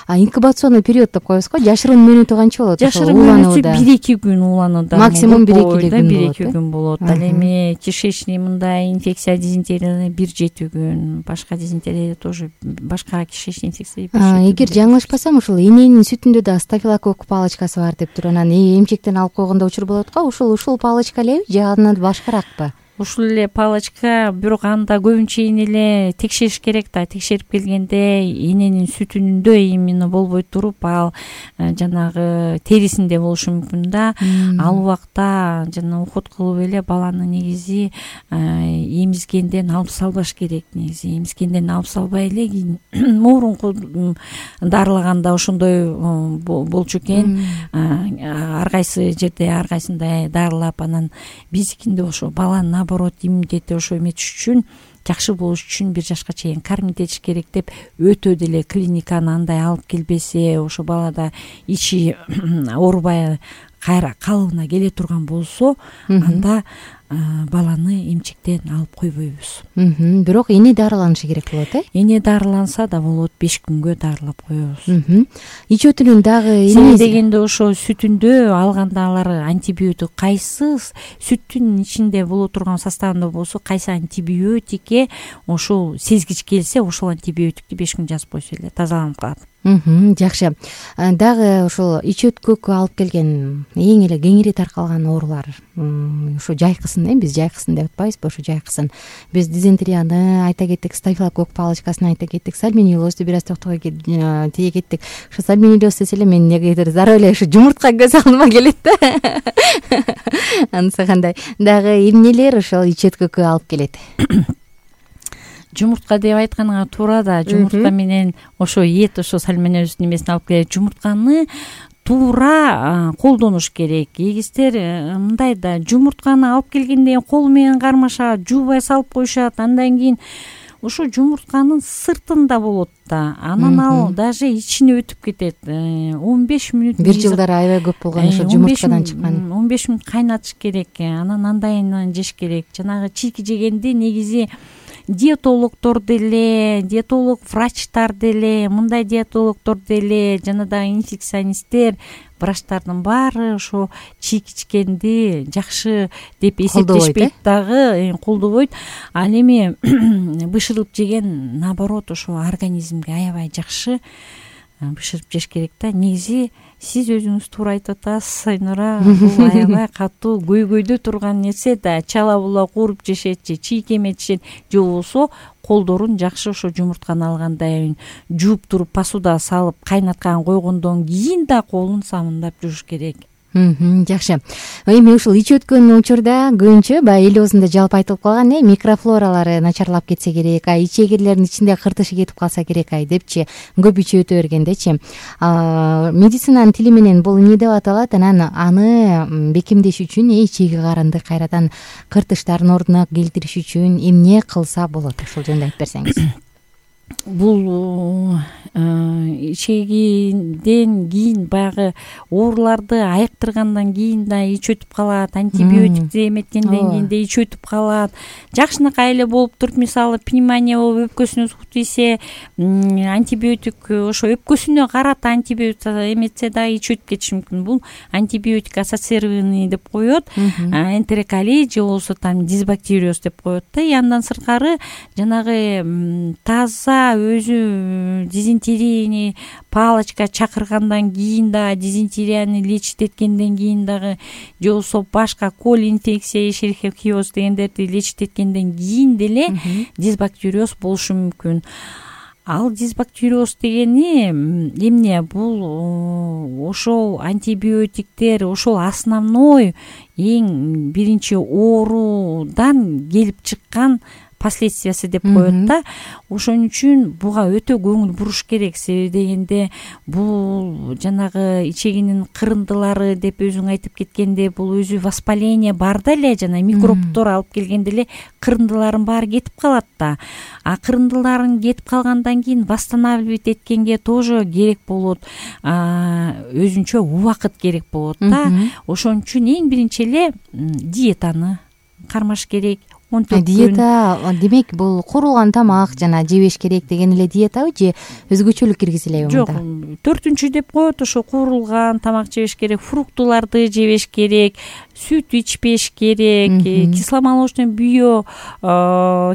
B: А инкубационный период деп коебуз го, жашыруун мөөнөтү канча болот?
D: Жашыруун мөөнөтү бир эки күн ууланууда,
B: максимум бир эки күн
D: бир эки күн болот. Ал эми кишечный мындай инфекция, дизентерия бир жети күн, башка дизентерия тоже, башка кишечный инфекция бир жети күн. Эгер
B: жаңылышпасам, ушул эненин сүтүндө да стафилококк палочкасы бар дептир, анан эмчектен алып койгондо учур болот го, ушул ушул палочка элеби же андан башкаракпы?
D: Ушул эле палочка, бирок анда көбүнчө эле текшериш керек да. Текшерип келгенде эненин сүтүндө именно болбой туруп, ал жанагы терисинде болушу мүмкүн да. Ал убакта жана уход кылып эле баланы негизи эмизгенден алып салбаш керек. Негизи эмизгенден алып салбай эле кийин мурунку дарылаганда ошондой болчу экен. Ар кайсы жерде ар кайсында дарылап, анан биздикинде ошо баланын наоборот иммунитети ошо эметиш үчүн, жакшы болуш үчүн бир жашка чейин кормить этиш керек деп өтө деле клиниканы андай алып келбесе, ошо балада ичи оорубай кайра калыбына келе турган болсо, анда баланы эмчектен алып койбойбуз.
B: Бирок эне дарыланышы керек болот, э?
D: Эне дарыланса да болот, беш күнгө дарылап коебуз.
B: Ич өтүнүн дагы
D: эне дегенде ошо сүтүндө алганда алар антибиотик, кайсы сүттүн ичинде боло турган составында болсо, кайсы антибиотикке ошол сезгич келсе, ошол антибиотикти беш күн жазып койсо эле тазаланып калат.
B: Жакшы. Дагы ошол ич өткөккө алып келген эң эле кеңири таркалган оорулар ушу жайкысын, э, биз жайкысын деп атпайбызбы, ошо жайкысын. Биз дизентерияны айта кеттик, стафилококк палочкасын айта кеттик, сальмонеллозду бир аз токтой тие кеттик. Ошо сальмонеллоз десе эле мен негедир зароо эле ушу жумуртка көз алдыма келет да. Анысы кандай? Дагы эмнелер ошол ич өткөккө алып келет?
D: Жумуртка деп айтканыңа туура да, жумуртка менен ошо эт, ошо сальмонеллоздун немесин алып келет. Жумуртканы туура колдонуш керек. Эгистер мындай да, жумуртканы алып келгенде кол менен кармашат, жуубай салып коюшат, андан кийин ошо жумуртканын сыртында болот да, анан ал даже ичине өтүп кетет. он беш мүнөт,
B: бир жылдары аябай көп болгон ошо жумурткадан чыккан.
D: он беш мүнөт кайнатыш керек, анан андайынан жеш керек. Жанагы чийки жегенди негизи диетологдор деле, диетолог врачтар деле, мындай диетологдор деле, жана да инфекционисттер, врачтардын баары ошо чийки ичкенди жакшы деп эсептешпейт дагы, колдобойт. Ал эми бышырып жеген наоборот ошо организмге аябай жакшы. Бышырып жеш керек да. Негизи сиз өзүңүз туура айтып атасыз, Сайнура, бул аябай катуу көйгөйдө турган нерсе да. Чала була кууруп жешет же чийки эметишет, же болбосо колдорун жакшы ошо жумуртканы алгандан жууп туруп посуда салып кайнаткан койгондон кийин да колун самындап жууш керек.
B: Жакшы. Эми ушул ич өткөн учурда көбүнчө баягы эл оозунда жалпы айтылып калган, э, микрофлоралары начарлап кетсе керек, ай ичегирлердин ичинде кыртышы кетип калса керек, ай депчи, көп ичип өтө бергендечи. Медицинанын тили менен бул эмне деп аталат? Анан аны бекемдеш үчүн, э, ичеги карынды кайрадан кыртыштардын ордуна келтириш үчүн эмне кылса болот? Ошол жөнүндө айтып берсеңиз.
D: Бул ичегиден кийин баягы ооруларды айыктыргандан кийин да ич өтүп калат, антибиотикти эметкенден кийин да ич өтүп калат. Жакшынакай эле болуп туруп, мисалы пневмония болуп өпкөсүнө сук тийсе, антибиотик ошо өпкөсүнө карата антибиотик эметсе да ич өтүп кетиши мүмкүн. Бул антибиотик ассоциированный деп коет, энтероколит же болбосо там дисбактериоз деп коет да. И андан сырткары жанагы таза өзү дизентерияны палочка чакыргандан кийин да, дизентерияны лечить эткенден кийин дагы, же болбосо башка кол инфекция, эшерихиоз дегендерди лечить эткенден кийин деле дисбактериоз болушу мүмкүн. Ал дисбактериоз дегени эмне? Бул ошол антибиотиктер, ошол основной эң биринчи оорудан келип чыккан последствиясы деп коет да. Ошон үчүн буга өтө көңүл буруш керек. Себеби дегенде бул жанагы ичегинин кырындылары деп өзүң айтып кеткенде, бул өзү воспаление бар да эле, жана микробтор алып келгенде эле кырындылардын баары кетип калат да. А кырындыларын кетип калгандан кийин восстанавливать эткенге тоже керек болот, өзүнчө убакыт керек болот да. Ошон үчүн эң биринчи эле диетаны кармаш керек.
B: Диета демек бул куурулган тамак жана жебеш керек деген эле диетабы же өзгөчөлүк киргизилеби мында?
D: Жок, төртүнчү деп коет, ошо куурулган тамак жебеш керек, фруктуларды жебеш керек, сүт ичпеш керек, кисломолочный био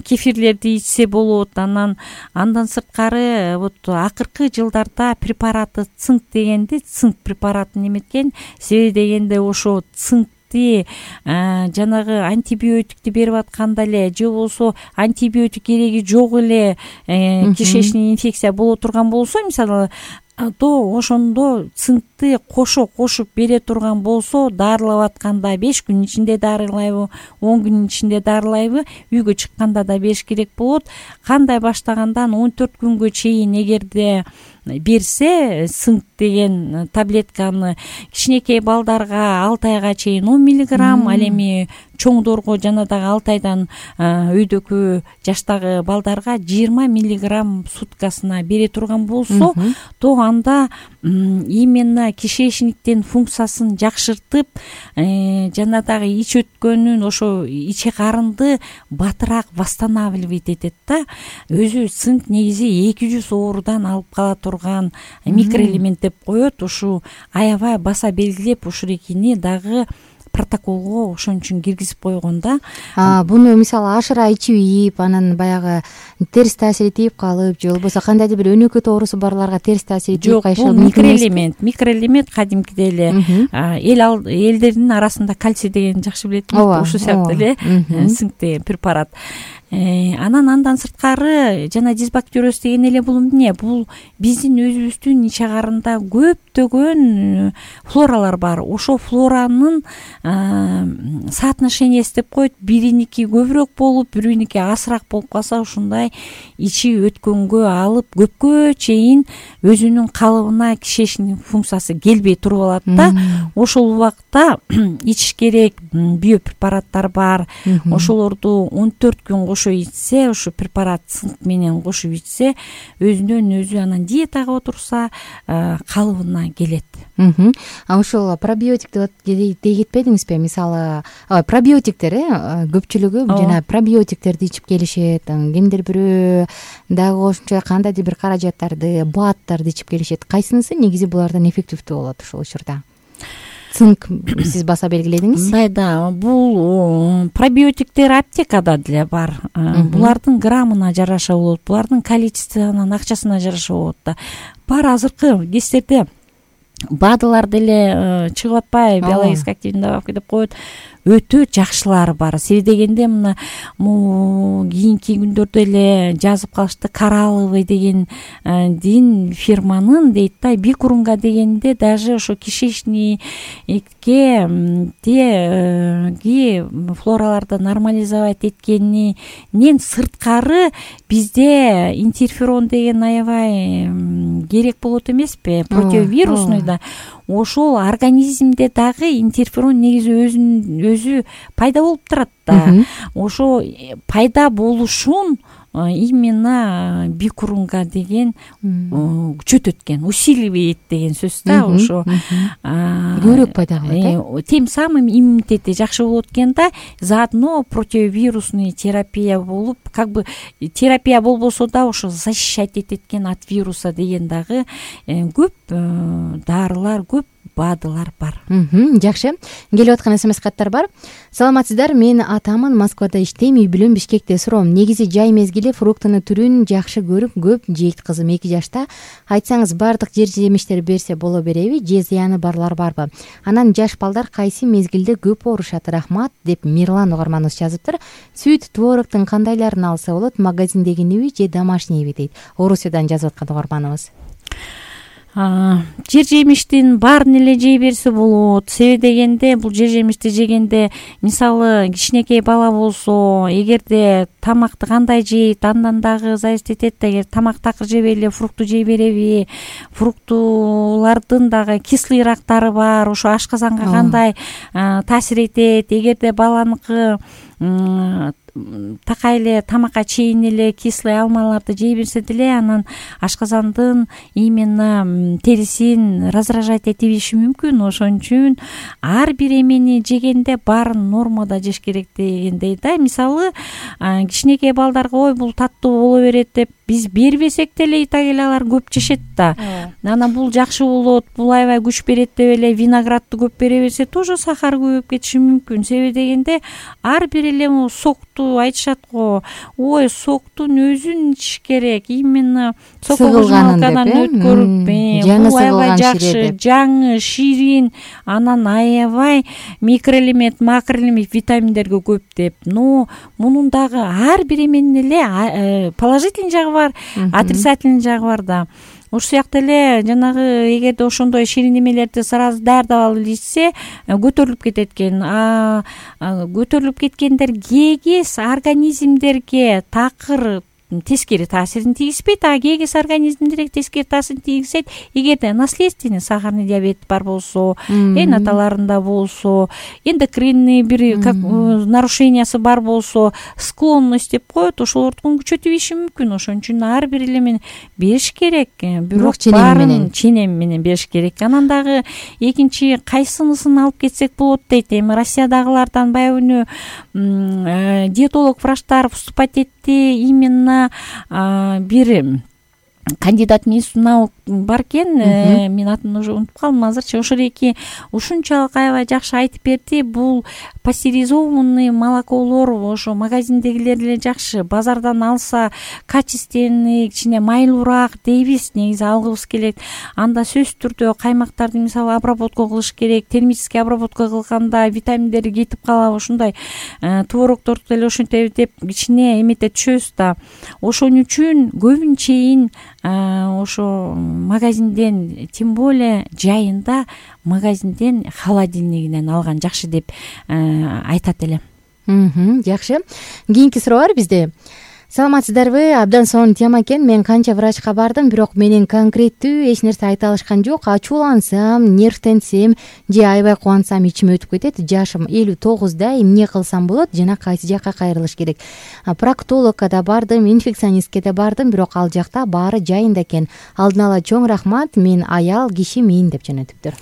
D: кефирлерди ичсе болот. Анан андан сырткары вот акыркы жылдарда препараты цинк дегенди, цинк препаратын эметкен. Себеби дегенде ошо цинк жанагы антибиотикти берип атканда эле же болбосо антибиотик кереги жок эле кишечный инфекция боло турган болсо, мисалы, то ошондо цинкти кошо кошуп бере турган болсо, дарылап атканда беш күн ичинде дарылайбы, он күн ичинде дарылайбы, үйгө чыкканда да бериш керек болот. Кандай баштагандан он төрт күнгө чейин эгерде берсе, цинк деген таблетканы кичинекей балдарга алты айга чейин он миллиграмм, ал эми чоңдорго жана дагы алты айдан өйдөкү жаштагы балдарга жыйырма миллиграмм суткасына бере турган болсо, то анда именно кишечниктин функциясын жакшыртып, жана дагы ич өткөнүн, ошо иче карынды батыраак восстанавливать этет да. Өзү цинк негизи эки жүз оорудан алып кала турган микроэлемент деп коет. Ушу аябай баса белгилеп, ушурекини дагы протоколго ошон үчүн киргизип койгон да.
B: Буну мисалы ашыра ичип ийип, анан баягы терс таасири тийип калып, же болбосо кандайдыр бир өнөкөт оорусу барларга терс таасири тийип калышы.
D: Жок, бул микроэлемент, микроэлемент кадимкидей эле эл элдердин арасында кальций деген жакшы билет, ушул сыяктуу эле цинк деген препарат. Анан андан сырткары жана дисбактериоз деген эле бул эмне? Бул биздин өзүбүздүн иче карында көптөгөн флоралар бар. Ошо флоранын соотношениясы деп коет, бириники көбүрөөк болуп, бириники азыраак болуп калса, ушундай ичи өткөнгө алып көпкө чейин өзүнүн калыбына кишечниктин функциясы келбей туруп алат да. Ошол убакта ичиш керек биопрепараттар бар. Ошолорду он төрт күн кошо ичсе, ошо препарат цинк менен кошуп ичсе, өзүнөн өзү анан диетага отурса, калыбына келет.
B: А ошол пробиотикти дей кетпедиңизби? Мисалы, пробиотиктер көпчүлүгү жана пробиотиктерди ичип келишет, кимдир бирөө дагы ошончо кандайдыр бир каражаттарды, бааттарды ичип келишет. Кайсынысы негизи булардан эффективдүү болот ошол учурда? Цинк сиз баса белгиледиңиз.
D: Мындай да, бул пробиотиктер аптекада деле бар. Булардын граммына жараша болот, булардын количествосуна, акчасына жараша болот да. Бар азыркы кездерде БАДылар деле чыгып атпайбы, биологически активный добавка деп коет. Өтө жакшылары бар. Себеби дегенде мына кийинки күндөрдө эле жазып калышты, Коралловый деген дин фирманын дейт да, бикурунга дегенде даже ошо кишечникке теги флораларды нормализовать эткенинен сырткары бизде интерферон деген аябай керек болот эмеспи, противовирусный да. Ошол организмде дагы интерферон негизи өзүн өзү пайда болуп турат да. Ошо пайда болушун именно бикурунга деген күчөтөткөн, усиливает деген сөз да. Ошо
B: көбүрөөк пайда кылат.
D: Тем самым иммунитети жакшы болот экен да. Заодно противовирусный терапия болуп, как бы терапия болбосо да, ошо защищать этет экен от вируса деген дагы көп дарылар, көп БАДылар бар.
B: Жакшы. Келип аткан смс каттар бар. Саламатсыздар, мен атамын, Москвада иштейм, үй бүлөм Бишкекте. Суроом, негизи жай мезгили фруктунун түрүн жакшы көрүп, көп жейт кызым эки жашта. Айтсаңыз, бардык жер жемиштер берсе боло береби, же зыяны барлар барбы? Анан жаш балдар кайсы мезгилде көп оорушат? Рахмат, деп Мирлан угарманыбыз жазыптыр. Сүт, твороктун кандайларын алса болот? Магазиндегиниби же домашнийби дейт. Орусиядан жазып аткан угарманыбыз.
D: жер жемиштин баарын эле жей берсе болот. Себеби дегенде бул жер жемишти жегенде мисалы кичинекей бала болсо эгерде тамакты кандай жейт андан дагы зависить этет да. Эгер тамак такыр жебей эле фрукту жей береби, фруктулардын дагы кислыйраактары бар, ошо ашказанга кандай таасир этет. Эгерде баланыкы такай эле тамакка чейин эле кислый алмаларды жей берсе деле анан ашказандын именно терисин раздражать эте бериши мүмкүн. Ошон үчүн ар бир эмени жегенде баарын нормада жеш керек дегендей да. Мисалы кичинекей балдарга ой бул таттуу боло берет деп биз бербесек деле ита келе алар көп жешет да. Анан бул жакшы болот, бул аябай күч берет деп эле виноградты көп бере берсе тоже сахар көбөйүп кетиши мүмкүн. Себеби дегенде ар бир эле сокту айтышат го, ой соктун өзүн ичиш керек, именно сокогожмалкадан өткөрүп, бул аябай жакшы, жаңы, ширин, анан аябай микроэлемент, макроэлемент, витаминдерге көп деп. Но мунун дагы ар бир эменин эле положительный жагы бар, отрицательный жагы бар да. Ошол сыяктуу эле жанагы эгерде ошондой ширин эмелерди сразу даярдап алып ичсе көтөрүлүп кетет экен. А көтөрүлүп кеткендер кегиз организмдерге такыр тескери таасирин тийгизбейт, а кегиз организмдерге тескери таасирин тийгизет эгерде наследственный сахарный диабет бар болсо, эн аталарында болсо, эндокринный бир как нарушениясы бар болсо, склонность деп коет, ошолордун күчөтүп ийиши мүмкүн. Ошон үчүн ар бир эле бериш керек, бирок баарын ченем менен бериш керек. Анан дагы экинчи кайсынысын алып кетсек болот дейт. Эми Россиядагылардан баягы диетолог врачтар вступать этти, именно бир кандидат медицина наук бар экен, мен атын уже унутуп калдым азырчы. Ошол эки ушунчалык аябай жакшы айтып берди. Бул пастеризованный молоколор ошо магазиндегилер эле жакшы, базардан алса качественный, кичине майлуураак дейбиз, негизи алгыбыз келет. Анда сөзсүз түрдө каймактарды мисалы обработка кылыш керек. Термический обработка кылганда витаминдери кетип калабы, ушундай творогторду деле ошентип деп кичине эмете түшөбүз да. Ошон үчүн көбүнчейин ошо магазинден, тем более жайында магазинден холодильнигинен алган жакшы деп айтат эле.
B: Жакшы. Кийинки суроо бар бизде. Саламатсыздарбы? Абдан сонун тема экен. Мен канча врачка бардым, бирок менен конкреттүү эч нерсе айта алышкан жок. Ачуулансам, нервтенсем же аябай кубансам ичим өтүп кетет. Жашым элүү тогузда, эмне кылсам болот жана кайсы жакка кайрылыш керек? Проктологко да бардым, инфекционистке да бардым, бирок ал жакта баары жайында экен. Алдын ала чоң рахмат, мен аял кишимин деп жөнөтүптүр.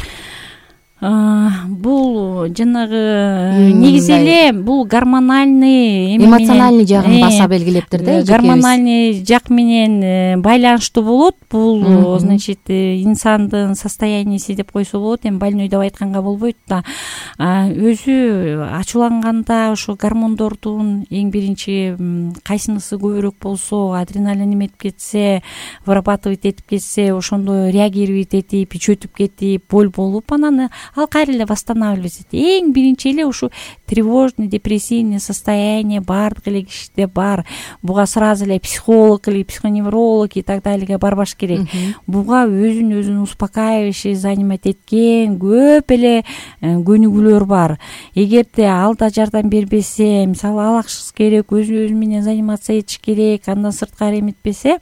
D: Бул жанагы негизи эле бул гормональный
B: эмоциональный жагын баса белгилептир да.
D: Гормональный жак менен байланыштуу болот. Бул значит инсандын состоянияси деп койсо болот. Эми больной деп айтканга болбойт да. Өзү ачууланганда ошо гормондордун эң биринчи кайсынысы көбүрөөк болсо, адреналин эметип кетсе, вырабатывать этип кетсе, ошондо реагировать этип, ич өтүп кетип, боль болуп, анан ал кайра эле восстанавливать этет. Эң биринчи эле ушу тревожный, депрессивный состояние баардык эле кишиде бар. Буга сразу эле психолог или психоневролог и так далее барбаш керек. Буга өзүн өзүн успокаивающий занимать эткен көп эле көнүгүүлөр бар. Эгерде ал да жардам бербесе, мисалы алаксыз керек, өзү өзү менен заниматься этиш керек, андан сырткары эметпесе,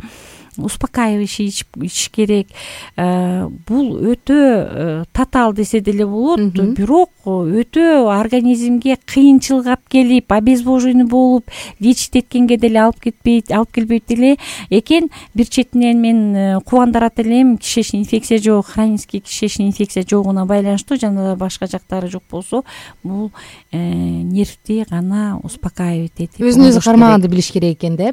D: успокаивающий ич керек. Бул өтө татаал десе деле болот, бирок өтө организмге кыйынчылык алып келип, обезвоженный болуп, лечить эткенге деле алып кетпейт, алып келбейт деле экен. Бир четинен мен кубандырат элем, кишечный инфекция жок, хронический кишечный инфекция жогуна байланыштуу, жана башка жактары жок болсо, бул нервти гана успокаивать этип,
B: өзүн өзү кармаганды билиш керек экен да.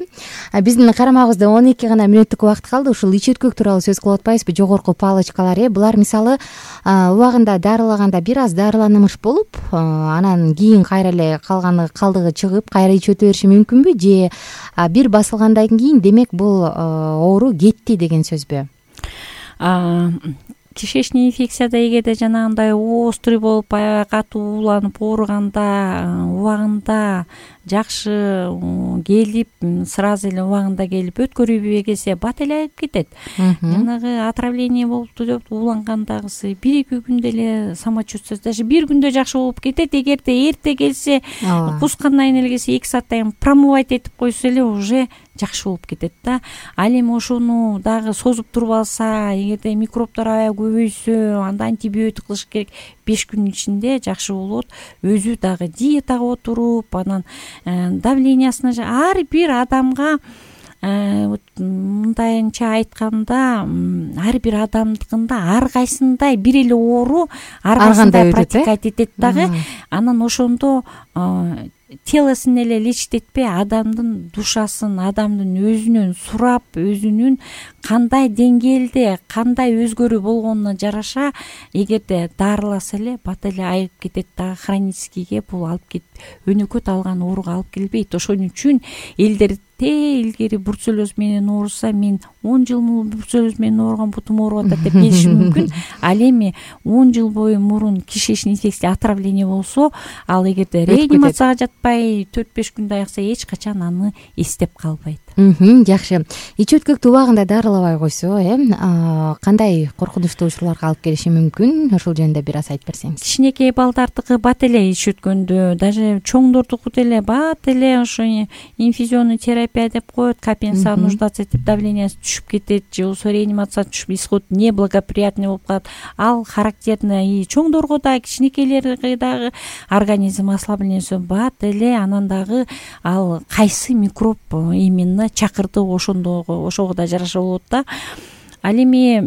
B: Биздин карамагыбызда он эки гана мүнөттүк убакыт калды. Ушул ич өткөк тууралуу сөз кылып атпайбызбы? Жогорку палочкалар, э булар мисалы убагында дарылаганда бир аз дарыланымыш болуп, анан кийин кайра эле калганы калдыгы чыгып, кайра ич өтө бериши мүмкүнбү? Же бир басылгандан кийин демек бул оору кетти деген сөзбү?
D: кишечный инфекцияда эгерде жанагындай острый болуп аябай катуу ууланып ооруганда убагында жакшы келип сразу эле убагында келип өткөрүлбөй келсе бат эле айып кетет. Жанагы отравление болупту деп уулангандагысы бир эки күндө эле самочувствие, даже бир күндө жакшы болуп кетет. Эгерде эрте келсе, кускандан кийин эле келсе эки сааттан кийин промывать этип койсо эле уже жакшы болуп кетет да. Ал эми ошону дагы созуп туруп алса, эгерде микробдор аябай көбөйсө, анда антибиотик кылыш керек. беш күнүн ичинде жакшы болот. Өзү дагы диетага отуруп, анан давлениясына ар бир адамга мындайынча айтканда ар бир адамдыкында ар кайсындай бир эле оору ар кайсындай протекать этет дагы. Анан ошондо телосун эле лечить этпей, адамдын душасын, адамдын өзүнөн сурап, өзүнүн кандай деңгээлде, кандай өзгөрүү болгонуна жараша эгерде дарыласа эле бат эле айып кетет дагы. Хроническийге бул алып кет, өнөкөт алган ооруга алып келбейт. Ошон үчүн элдер илгери бруцеллез менен ооруса, мен он жыл мурун бруцеллез менен ооруган, бутум ооруп атат деп келиши мүмкүн. Ал эми он жыл бою мурун кишечный инфекция, отравление болсо, ал эгерде реанимацияга жатпай төрт беш күндө айыкса, эч качан аны эстеп калбайт.
B: Жакшы. Ич өткөктү убагында дарылабай койсо, э, кандай коркунучтуу учурларга алып келиши мүмкүн? Ошол жөнүндө бир аз айтып берсеңиз.
D: Кичинекей балдардыкы бат эле ич өткөндө, даже чоңдордуку деле бат эле ошо инфузионный терапия деп коет, капельница нуждаться этип давлениясы түшүп кетет, же болбосо реанимацияга түшүп, исход неблагоприятный болуп калат. Ал характерно и чоңдорго да, кичинекейлерге дагы организм ослаблениеси бат эле. Анан дагы ал кайсы микроб именно чакырды, ошондого ошого да жараша болот да. Ал эми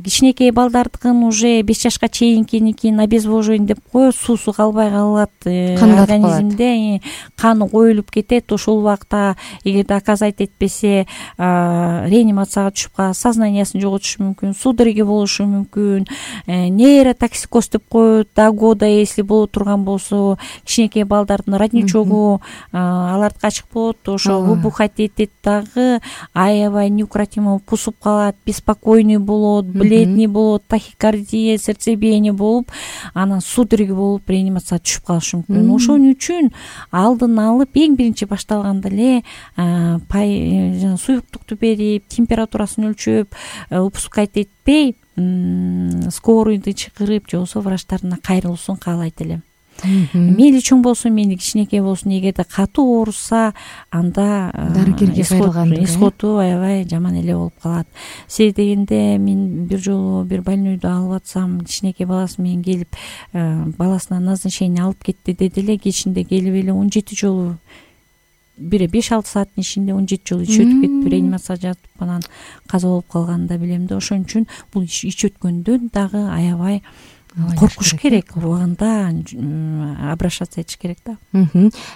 D: кичинекей балдардыкын уже беш жашка чейинкиникин обезвоживание деп коет, суусу калбай калат, организмде каны коюлуп кетет. Ошол убакта эгерде оказать этпесе, реанимацияга түшүп калат, сознаниясын жоготушу мүмкүн, судороги болушу мүмкүн, нейротоксикоз деп коет. До года если боло турган болсо, кичинекей балдардын родничогу алардыкы ачык болот, ошо выбухать этет дагы, аябай неукротимо кусуп калат, беспокойный болот, бледный болот, тахикардия, сердцебиение болуп, анан судороги болуп реанимацияга түшүп калышы мүмкүн. Ошон үчүн алдын алып, эң биринчи башталганда эле жана суюктукту берип, температурасын өлчөп, упускать этпей, скорыйды чакырып, же болбосо врачтарына кайрылуусун каалайт элем. Мейли чоң болсун, мейли кичинекей болсун, эгерде катуу ооруса, анда
B: дарыгерге кайрылган
D: исходу аябай жаман эле болуп калат. Себеби дегенде мен бир жолу бир больнойду алып атсам, кичинекей баласы менен келип, баласына назначение алып кетти деди эле, кечинде келип эле он жети жолу, бир беш алты сааттын ичинде он жети жолу ич өтүп кетип, реанимацияга жатып анан каза болуп калганын да билем да. Ошон үчүн бул ич өткөндөн дагы аябай коркуш керек, убагында обращаться этиш керек да.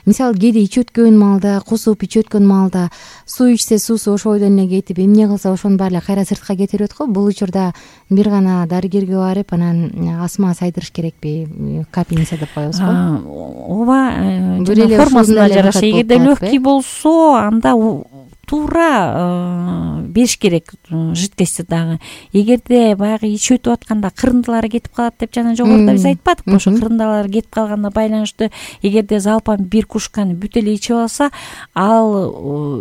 B: Мисалы кээде ич өткөн маалда, кусуп ич өткөн маалда суу ичсе, суусу ошол бойдон эле кетип, эмне кылса ошонун баары эле кайра сыртка кетирип го. Бул учурда бир гана дарыгерге барып, анан асма сайдырыш керекпи, капельница деп коебузбу?
D: Ооба, формасына жараша. Эгерде легкий болсо, анда туура бериш керек жидкости дагы. Эгерде баягы ич өтүп атканда кырындылары кетип калат деп жана жогоруда биз айтпадыкпы? Ошо кырындылары кетип калганына байланыштуу эгерде залпан бир кружканы бүт эле ичип алса, ал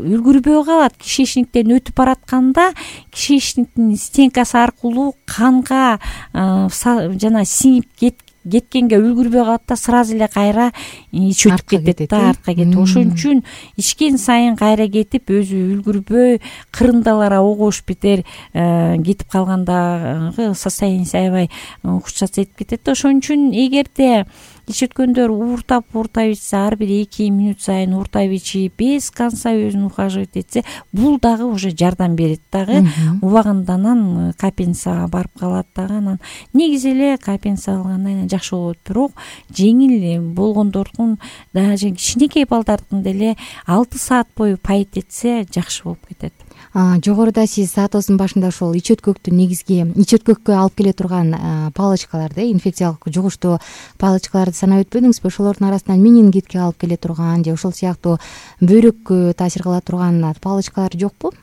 D: үлгүрбөй калат. Кишечниктен өтүп баратканда кишечниктин стенкасы аркылуу канга жана сиңип кеткен кеткенге үлгүрбөй калат да, сразу эле кайра ич өтүп кетет да, артка кетип. Ошон үчүн ичкен сайын кайра кетип, өзү үлгүрбөй, кырындалар огош бетер кетип калгандагы состояние аябай ухудшаться этип кетет да. Ошон үчүн эгерде ич өткөндөр ууртап ууртап ичсе, ар бир эки мүнөт сайын ууртап ичип, без конца өзүн ухаживать этсе, бул дагы уже жардам берет дагы. Убагында анан капельницага барып калат дагы. Анан негизи эле капельница алгандан кийин жакшы болот, бирок жеңил болгондордун, даже кичинекей балдардын деле алты саат бою пайт этсе жакшы болуп кетет.
B: Жогоруда сиз саатыбыздын башында ошол ич өткөктү негизги ич өткөккө алып келе турган палочкаларды, инфекциялык жугуштуу палочкаларды санап өтпөдүңүзбү? Ошолордун арасынан менингитке алып келе турган же ошол сыяктуу бөйрөккө таасир кыла турган палочкалар жокпу?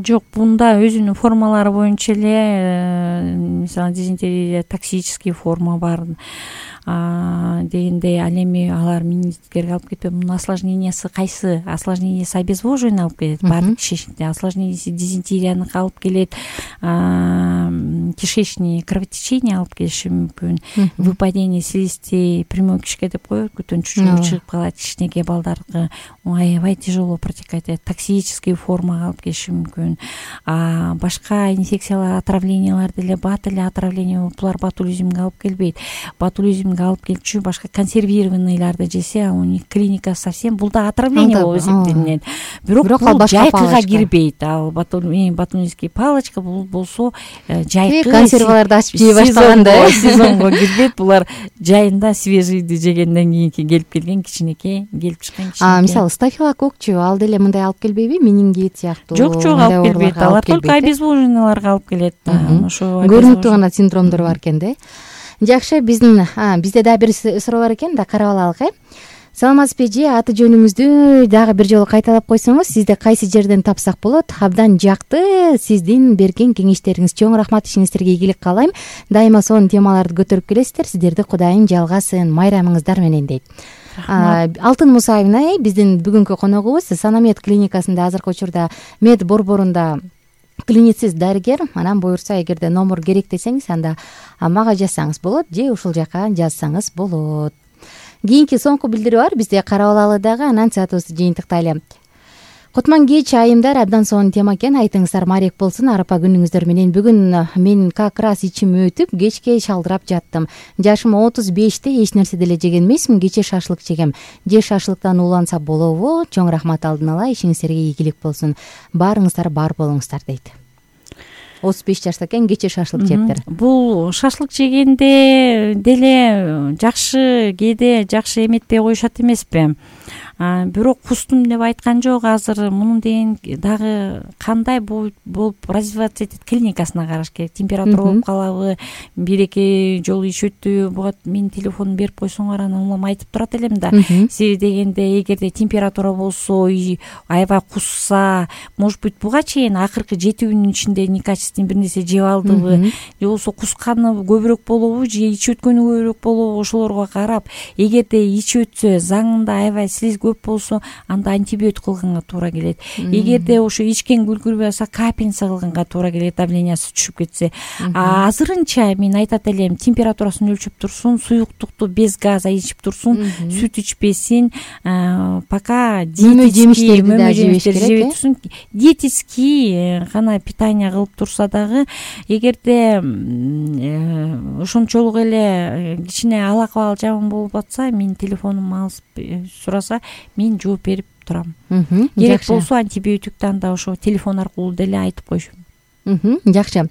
D: Жок, мында өзүнүн формалары боюнча эле, мисалы дизентерия токсический форма бар дегендей, ал эми алар менингиттерге алып кетпейт. Мунун осложнениясы кайсы? Осложнениясы обезвоживание алып келет, баардык кишечникте. Осложнениясы дизентерияны алып келет, кишечный кровотечение алып келиши мүмкүн, выпадение слизистей, прямой кишке деп коет, көтөн чучуп чыгып калат кичинекей балдарга, аябай тяжело протекать этет, токсический формага алып келиши мүмкүн. А башка инфекциялар, отравлениялар деле, бат эле отравление болуп, булар ботулизмге алып келбейт. Ботулизмге алып келчү башка консервированныйларды жесе, у них клиника совсем, бул да отравление болуп эсептелинет. Бирок бул жайкыга кирбейт. Ал ботулинский палочка бул болсо жайкы
B: консерваларды ачып жей баштаганда
D: сезонго кирбейт. Булар жайында свежийди жегенден кийинки келип келген кичинекей, келип чыккан кичинекей.
B: А мисалы стафилококчу ал деле мындай алып келбейби? Менингит сыяктуу?
D: Жок, жок, алып келбейт. Алар только обезвоживанияларга алып келет.
B: Ошо көрүнүктүү гана синдромдор бар экен да. Жакшы, биздин бизде дагы бир суроо бар экен да, карап алалык э. Саламатсызбы эже, аты жөнүңүздү дагы бир жолу кайталап койсоңуз, сизди кайсы жерден тапсак болот? Абдан жакты сиздин берген кеңештериңиз. Чоң рахмат, ишиңиздерге ийгилик каалайм. Дайыма сонун темаларды көтөрүп келесиздер. Сиздерди Кудайым жалгасын, майрамыңыздар менен дейт. Алтын Мусаевна, биздин бүгүнкү коногубуз Санамед клиникасында азыркы учурда мед борборунда клиницист дарыгер. Анан буюрса, эгерде номер керек десеңиз, анда мага жазсаңыз болот же ушул жака жазсаңыз болот. Кийинки соңку билдирүү бар, бизде карап алалы дагы, анан саатыбызды жыйынтыктайлы. Кутман кеч айымдар, абдан сонун тема экен, айтыңыздар марек болсун арапа күнүңүздөр менен. Бүгүн мен как раз ичим өтүп, кечке шалдырап жаттым. Жашым отуз беште, эч нерсе деле жеген эмесмин, кече шашлык жегем. Же шашлыктан ууланса болобу? Чоң рахмат алдын ала, ишиңиздерге ийгилик болсун. Баарыңыздар бар болуңуздар дейт. отуз беш жашта экен, кече шашлык жептир.
D: Бул шашлык жегенде деле жакшы, кээде жакшы эметпей коюшат эмеспи? Бирок кустум деп айткан жок. Азыр мунун деген дагы кандай болуп развиваться этет, клиникасына караш керек. Температура болуп калабы, бир эки жолу иш өттү, буга менин телефонумду берип койсоңор, анан улам айтып турат элем да. Себеби дегенде, эгерде температура болсо, аябай кусса, может быть, буга чейин акыркы жети күнүн ичинде некачественный бир нерсе жеп алдыбы, же болбосо кусканы көбүрөөк болобу, же ич өткөнү көбүрөөк болобу, ошолорго карап, эгерде ич өтсө, заңында аябай слиз көп болсо, анда антибиотик кылганга туура келет. Эгерде ошо ичкен күлкүрбөй алса, капельница кылганга туура келет, давлениясы түшүп кетсе. А азырынча мен айтат элем, температурасын өлчөп турсун, суюктукту без газа ичип турсун, сүт ичпесин, пока диетический жемиштерди жебей турсун. Диетический гана питание кылып турса дагы, эгерде ошончолук эле кичине алакабал жаман болуп атса, менин телефонумду алып сураса, мен жооп берип турам. Керек болсо антибиотикти анда ошо телефон аркылуу деле айтып коюшум.
B: Жакшы.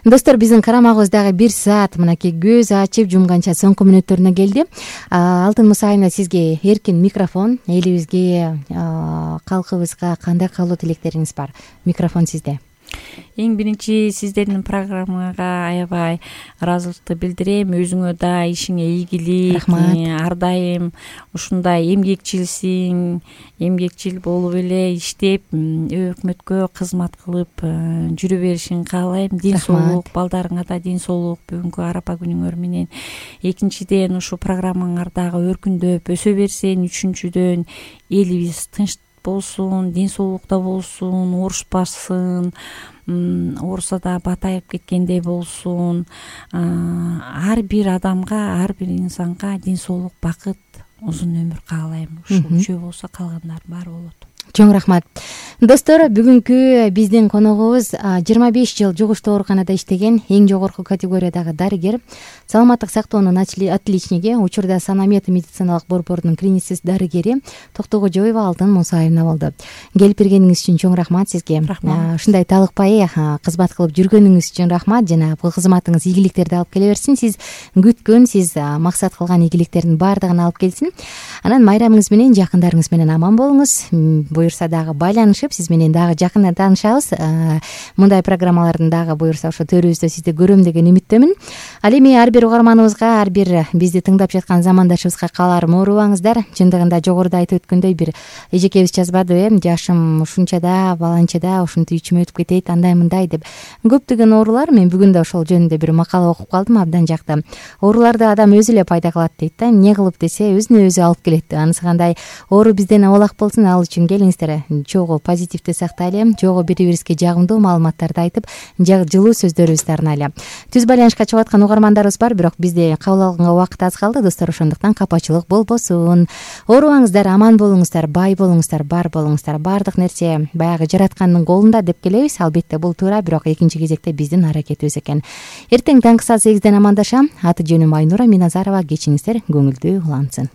B: Достор, биздин карамагыбыз дагы бир саат мынакей көз ачып жумганча соңку мүнөттөрүнө келди. Алтын Мусаевна, сизге эркин микрофон. Элибизге, калкыбызга кандай каалоо тилектериңиз бар? Микрофон сизде.
D: Эң биринчи сиздердин программага аябай ыраазылыкты билдирем. Өзүңө да ишиңе ийгилик. Ар дайым ушундай эмгекчилсиң, эмгекчил болуп эле иштеп, өкмөткө кызмат кылып жүрө беришиңди каалайм. Ден соолук, балдарыңа да ден соолук бүгүнкү арапа күнүңөр менен. Экинчиден, ушу программаңар дагы өркүндөп өсө берсин. Үчүнчүдөн, элибиз тынч болсун, ден соолукта болсун, оорушпасын, ооруса да батайып кеткендей болсун. Ар бир адамга, ар бир инсанга ден соолук, бакыт, узун өмүр каалайм. Ушул үчөө болсо калгандар баары болот.
B: Чоң рахмат. Достор, бүгүнкү биздин коногубуз жыйырма беш жыл жугуштуу ооруканада иштеген, эң жогорку категориядагы дарыгер, саламаттык сактоонун отличниги, учурда Санамед медициналык борборунун клиницист дарыгери Токтогожоева Алтын Мусаевна болду. Келип бергениңиз үчүн чоң рахмат сизге. Ушундай талыкпай кызмат кылып жүргөнүңүз үчүн рахмат. Жана бул кызматыңыз ийгиликтерди алып келе берсин. Сиз күткөн, сиз максат кылган ийгиликтердин баардыгын алып келсин. Анан майрамыңыз менен, жакындарыңыз менен аман болуңуз. буюрса дагы байланышып сиз менен дагы жакында таанышабыз. Мындай программалардын дагы буюрса ошо төрүбүздө сизди көрөм деген үмүттөмүн. Ал эми ар бир угарманыбызга, ар бир бизди тыңдап жаткан замандашыбызга кааларым оорубаңыздар. Чындыгында жогоруда айтып өткөндөй бир эжекебиз жазбадыбы э, жашым ушунчада, баланчада, ушинтип ичим өтүп кетейт, андай мындай деп. Көптөгөн оорулар, мен бүгүн да ошол жөнүндө бир макала окуп калдым, абдан жакты. Ооруларды адам өзү эле пайда кылат дейт да. Эмне кылып десе, өзүнө өзү алып келет деп. Анысы кандай оору бизден абалак болсун, ал үчүн келиңиздер чогуу позитивди сактайлы, жогуу бири-бирибизге жагымдуу маалыматтарды айтып, жылуу сөздөрүбүздү арнайлы. Түз байланышка чыгып аткан угармандарыбыз бар, бирок бизди кабыл алганга убакыт аз калды, достор. Ошондуктан капачылык болбосун. Оорубаңыздар, аман болуңуздар, бай болуңуздар, бар болуңуздар. Баардык нерсе баягы жараткандын колунда деп келебиз. Албетте бул туура, бирок экинчи кезекте биздин аракетибиз экен. Эртең таңкы саат сегизден амандашам. Аты жөнүм Айнура Миназарова. Кечиңиздер көңүлдүү улансын.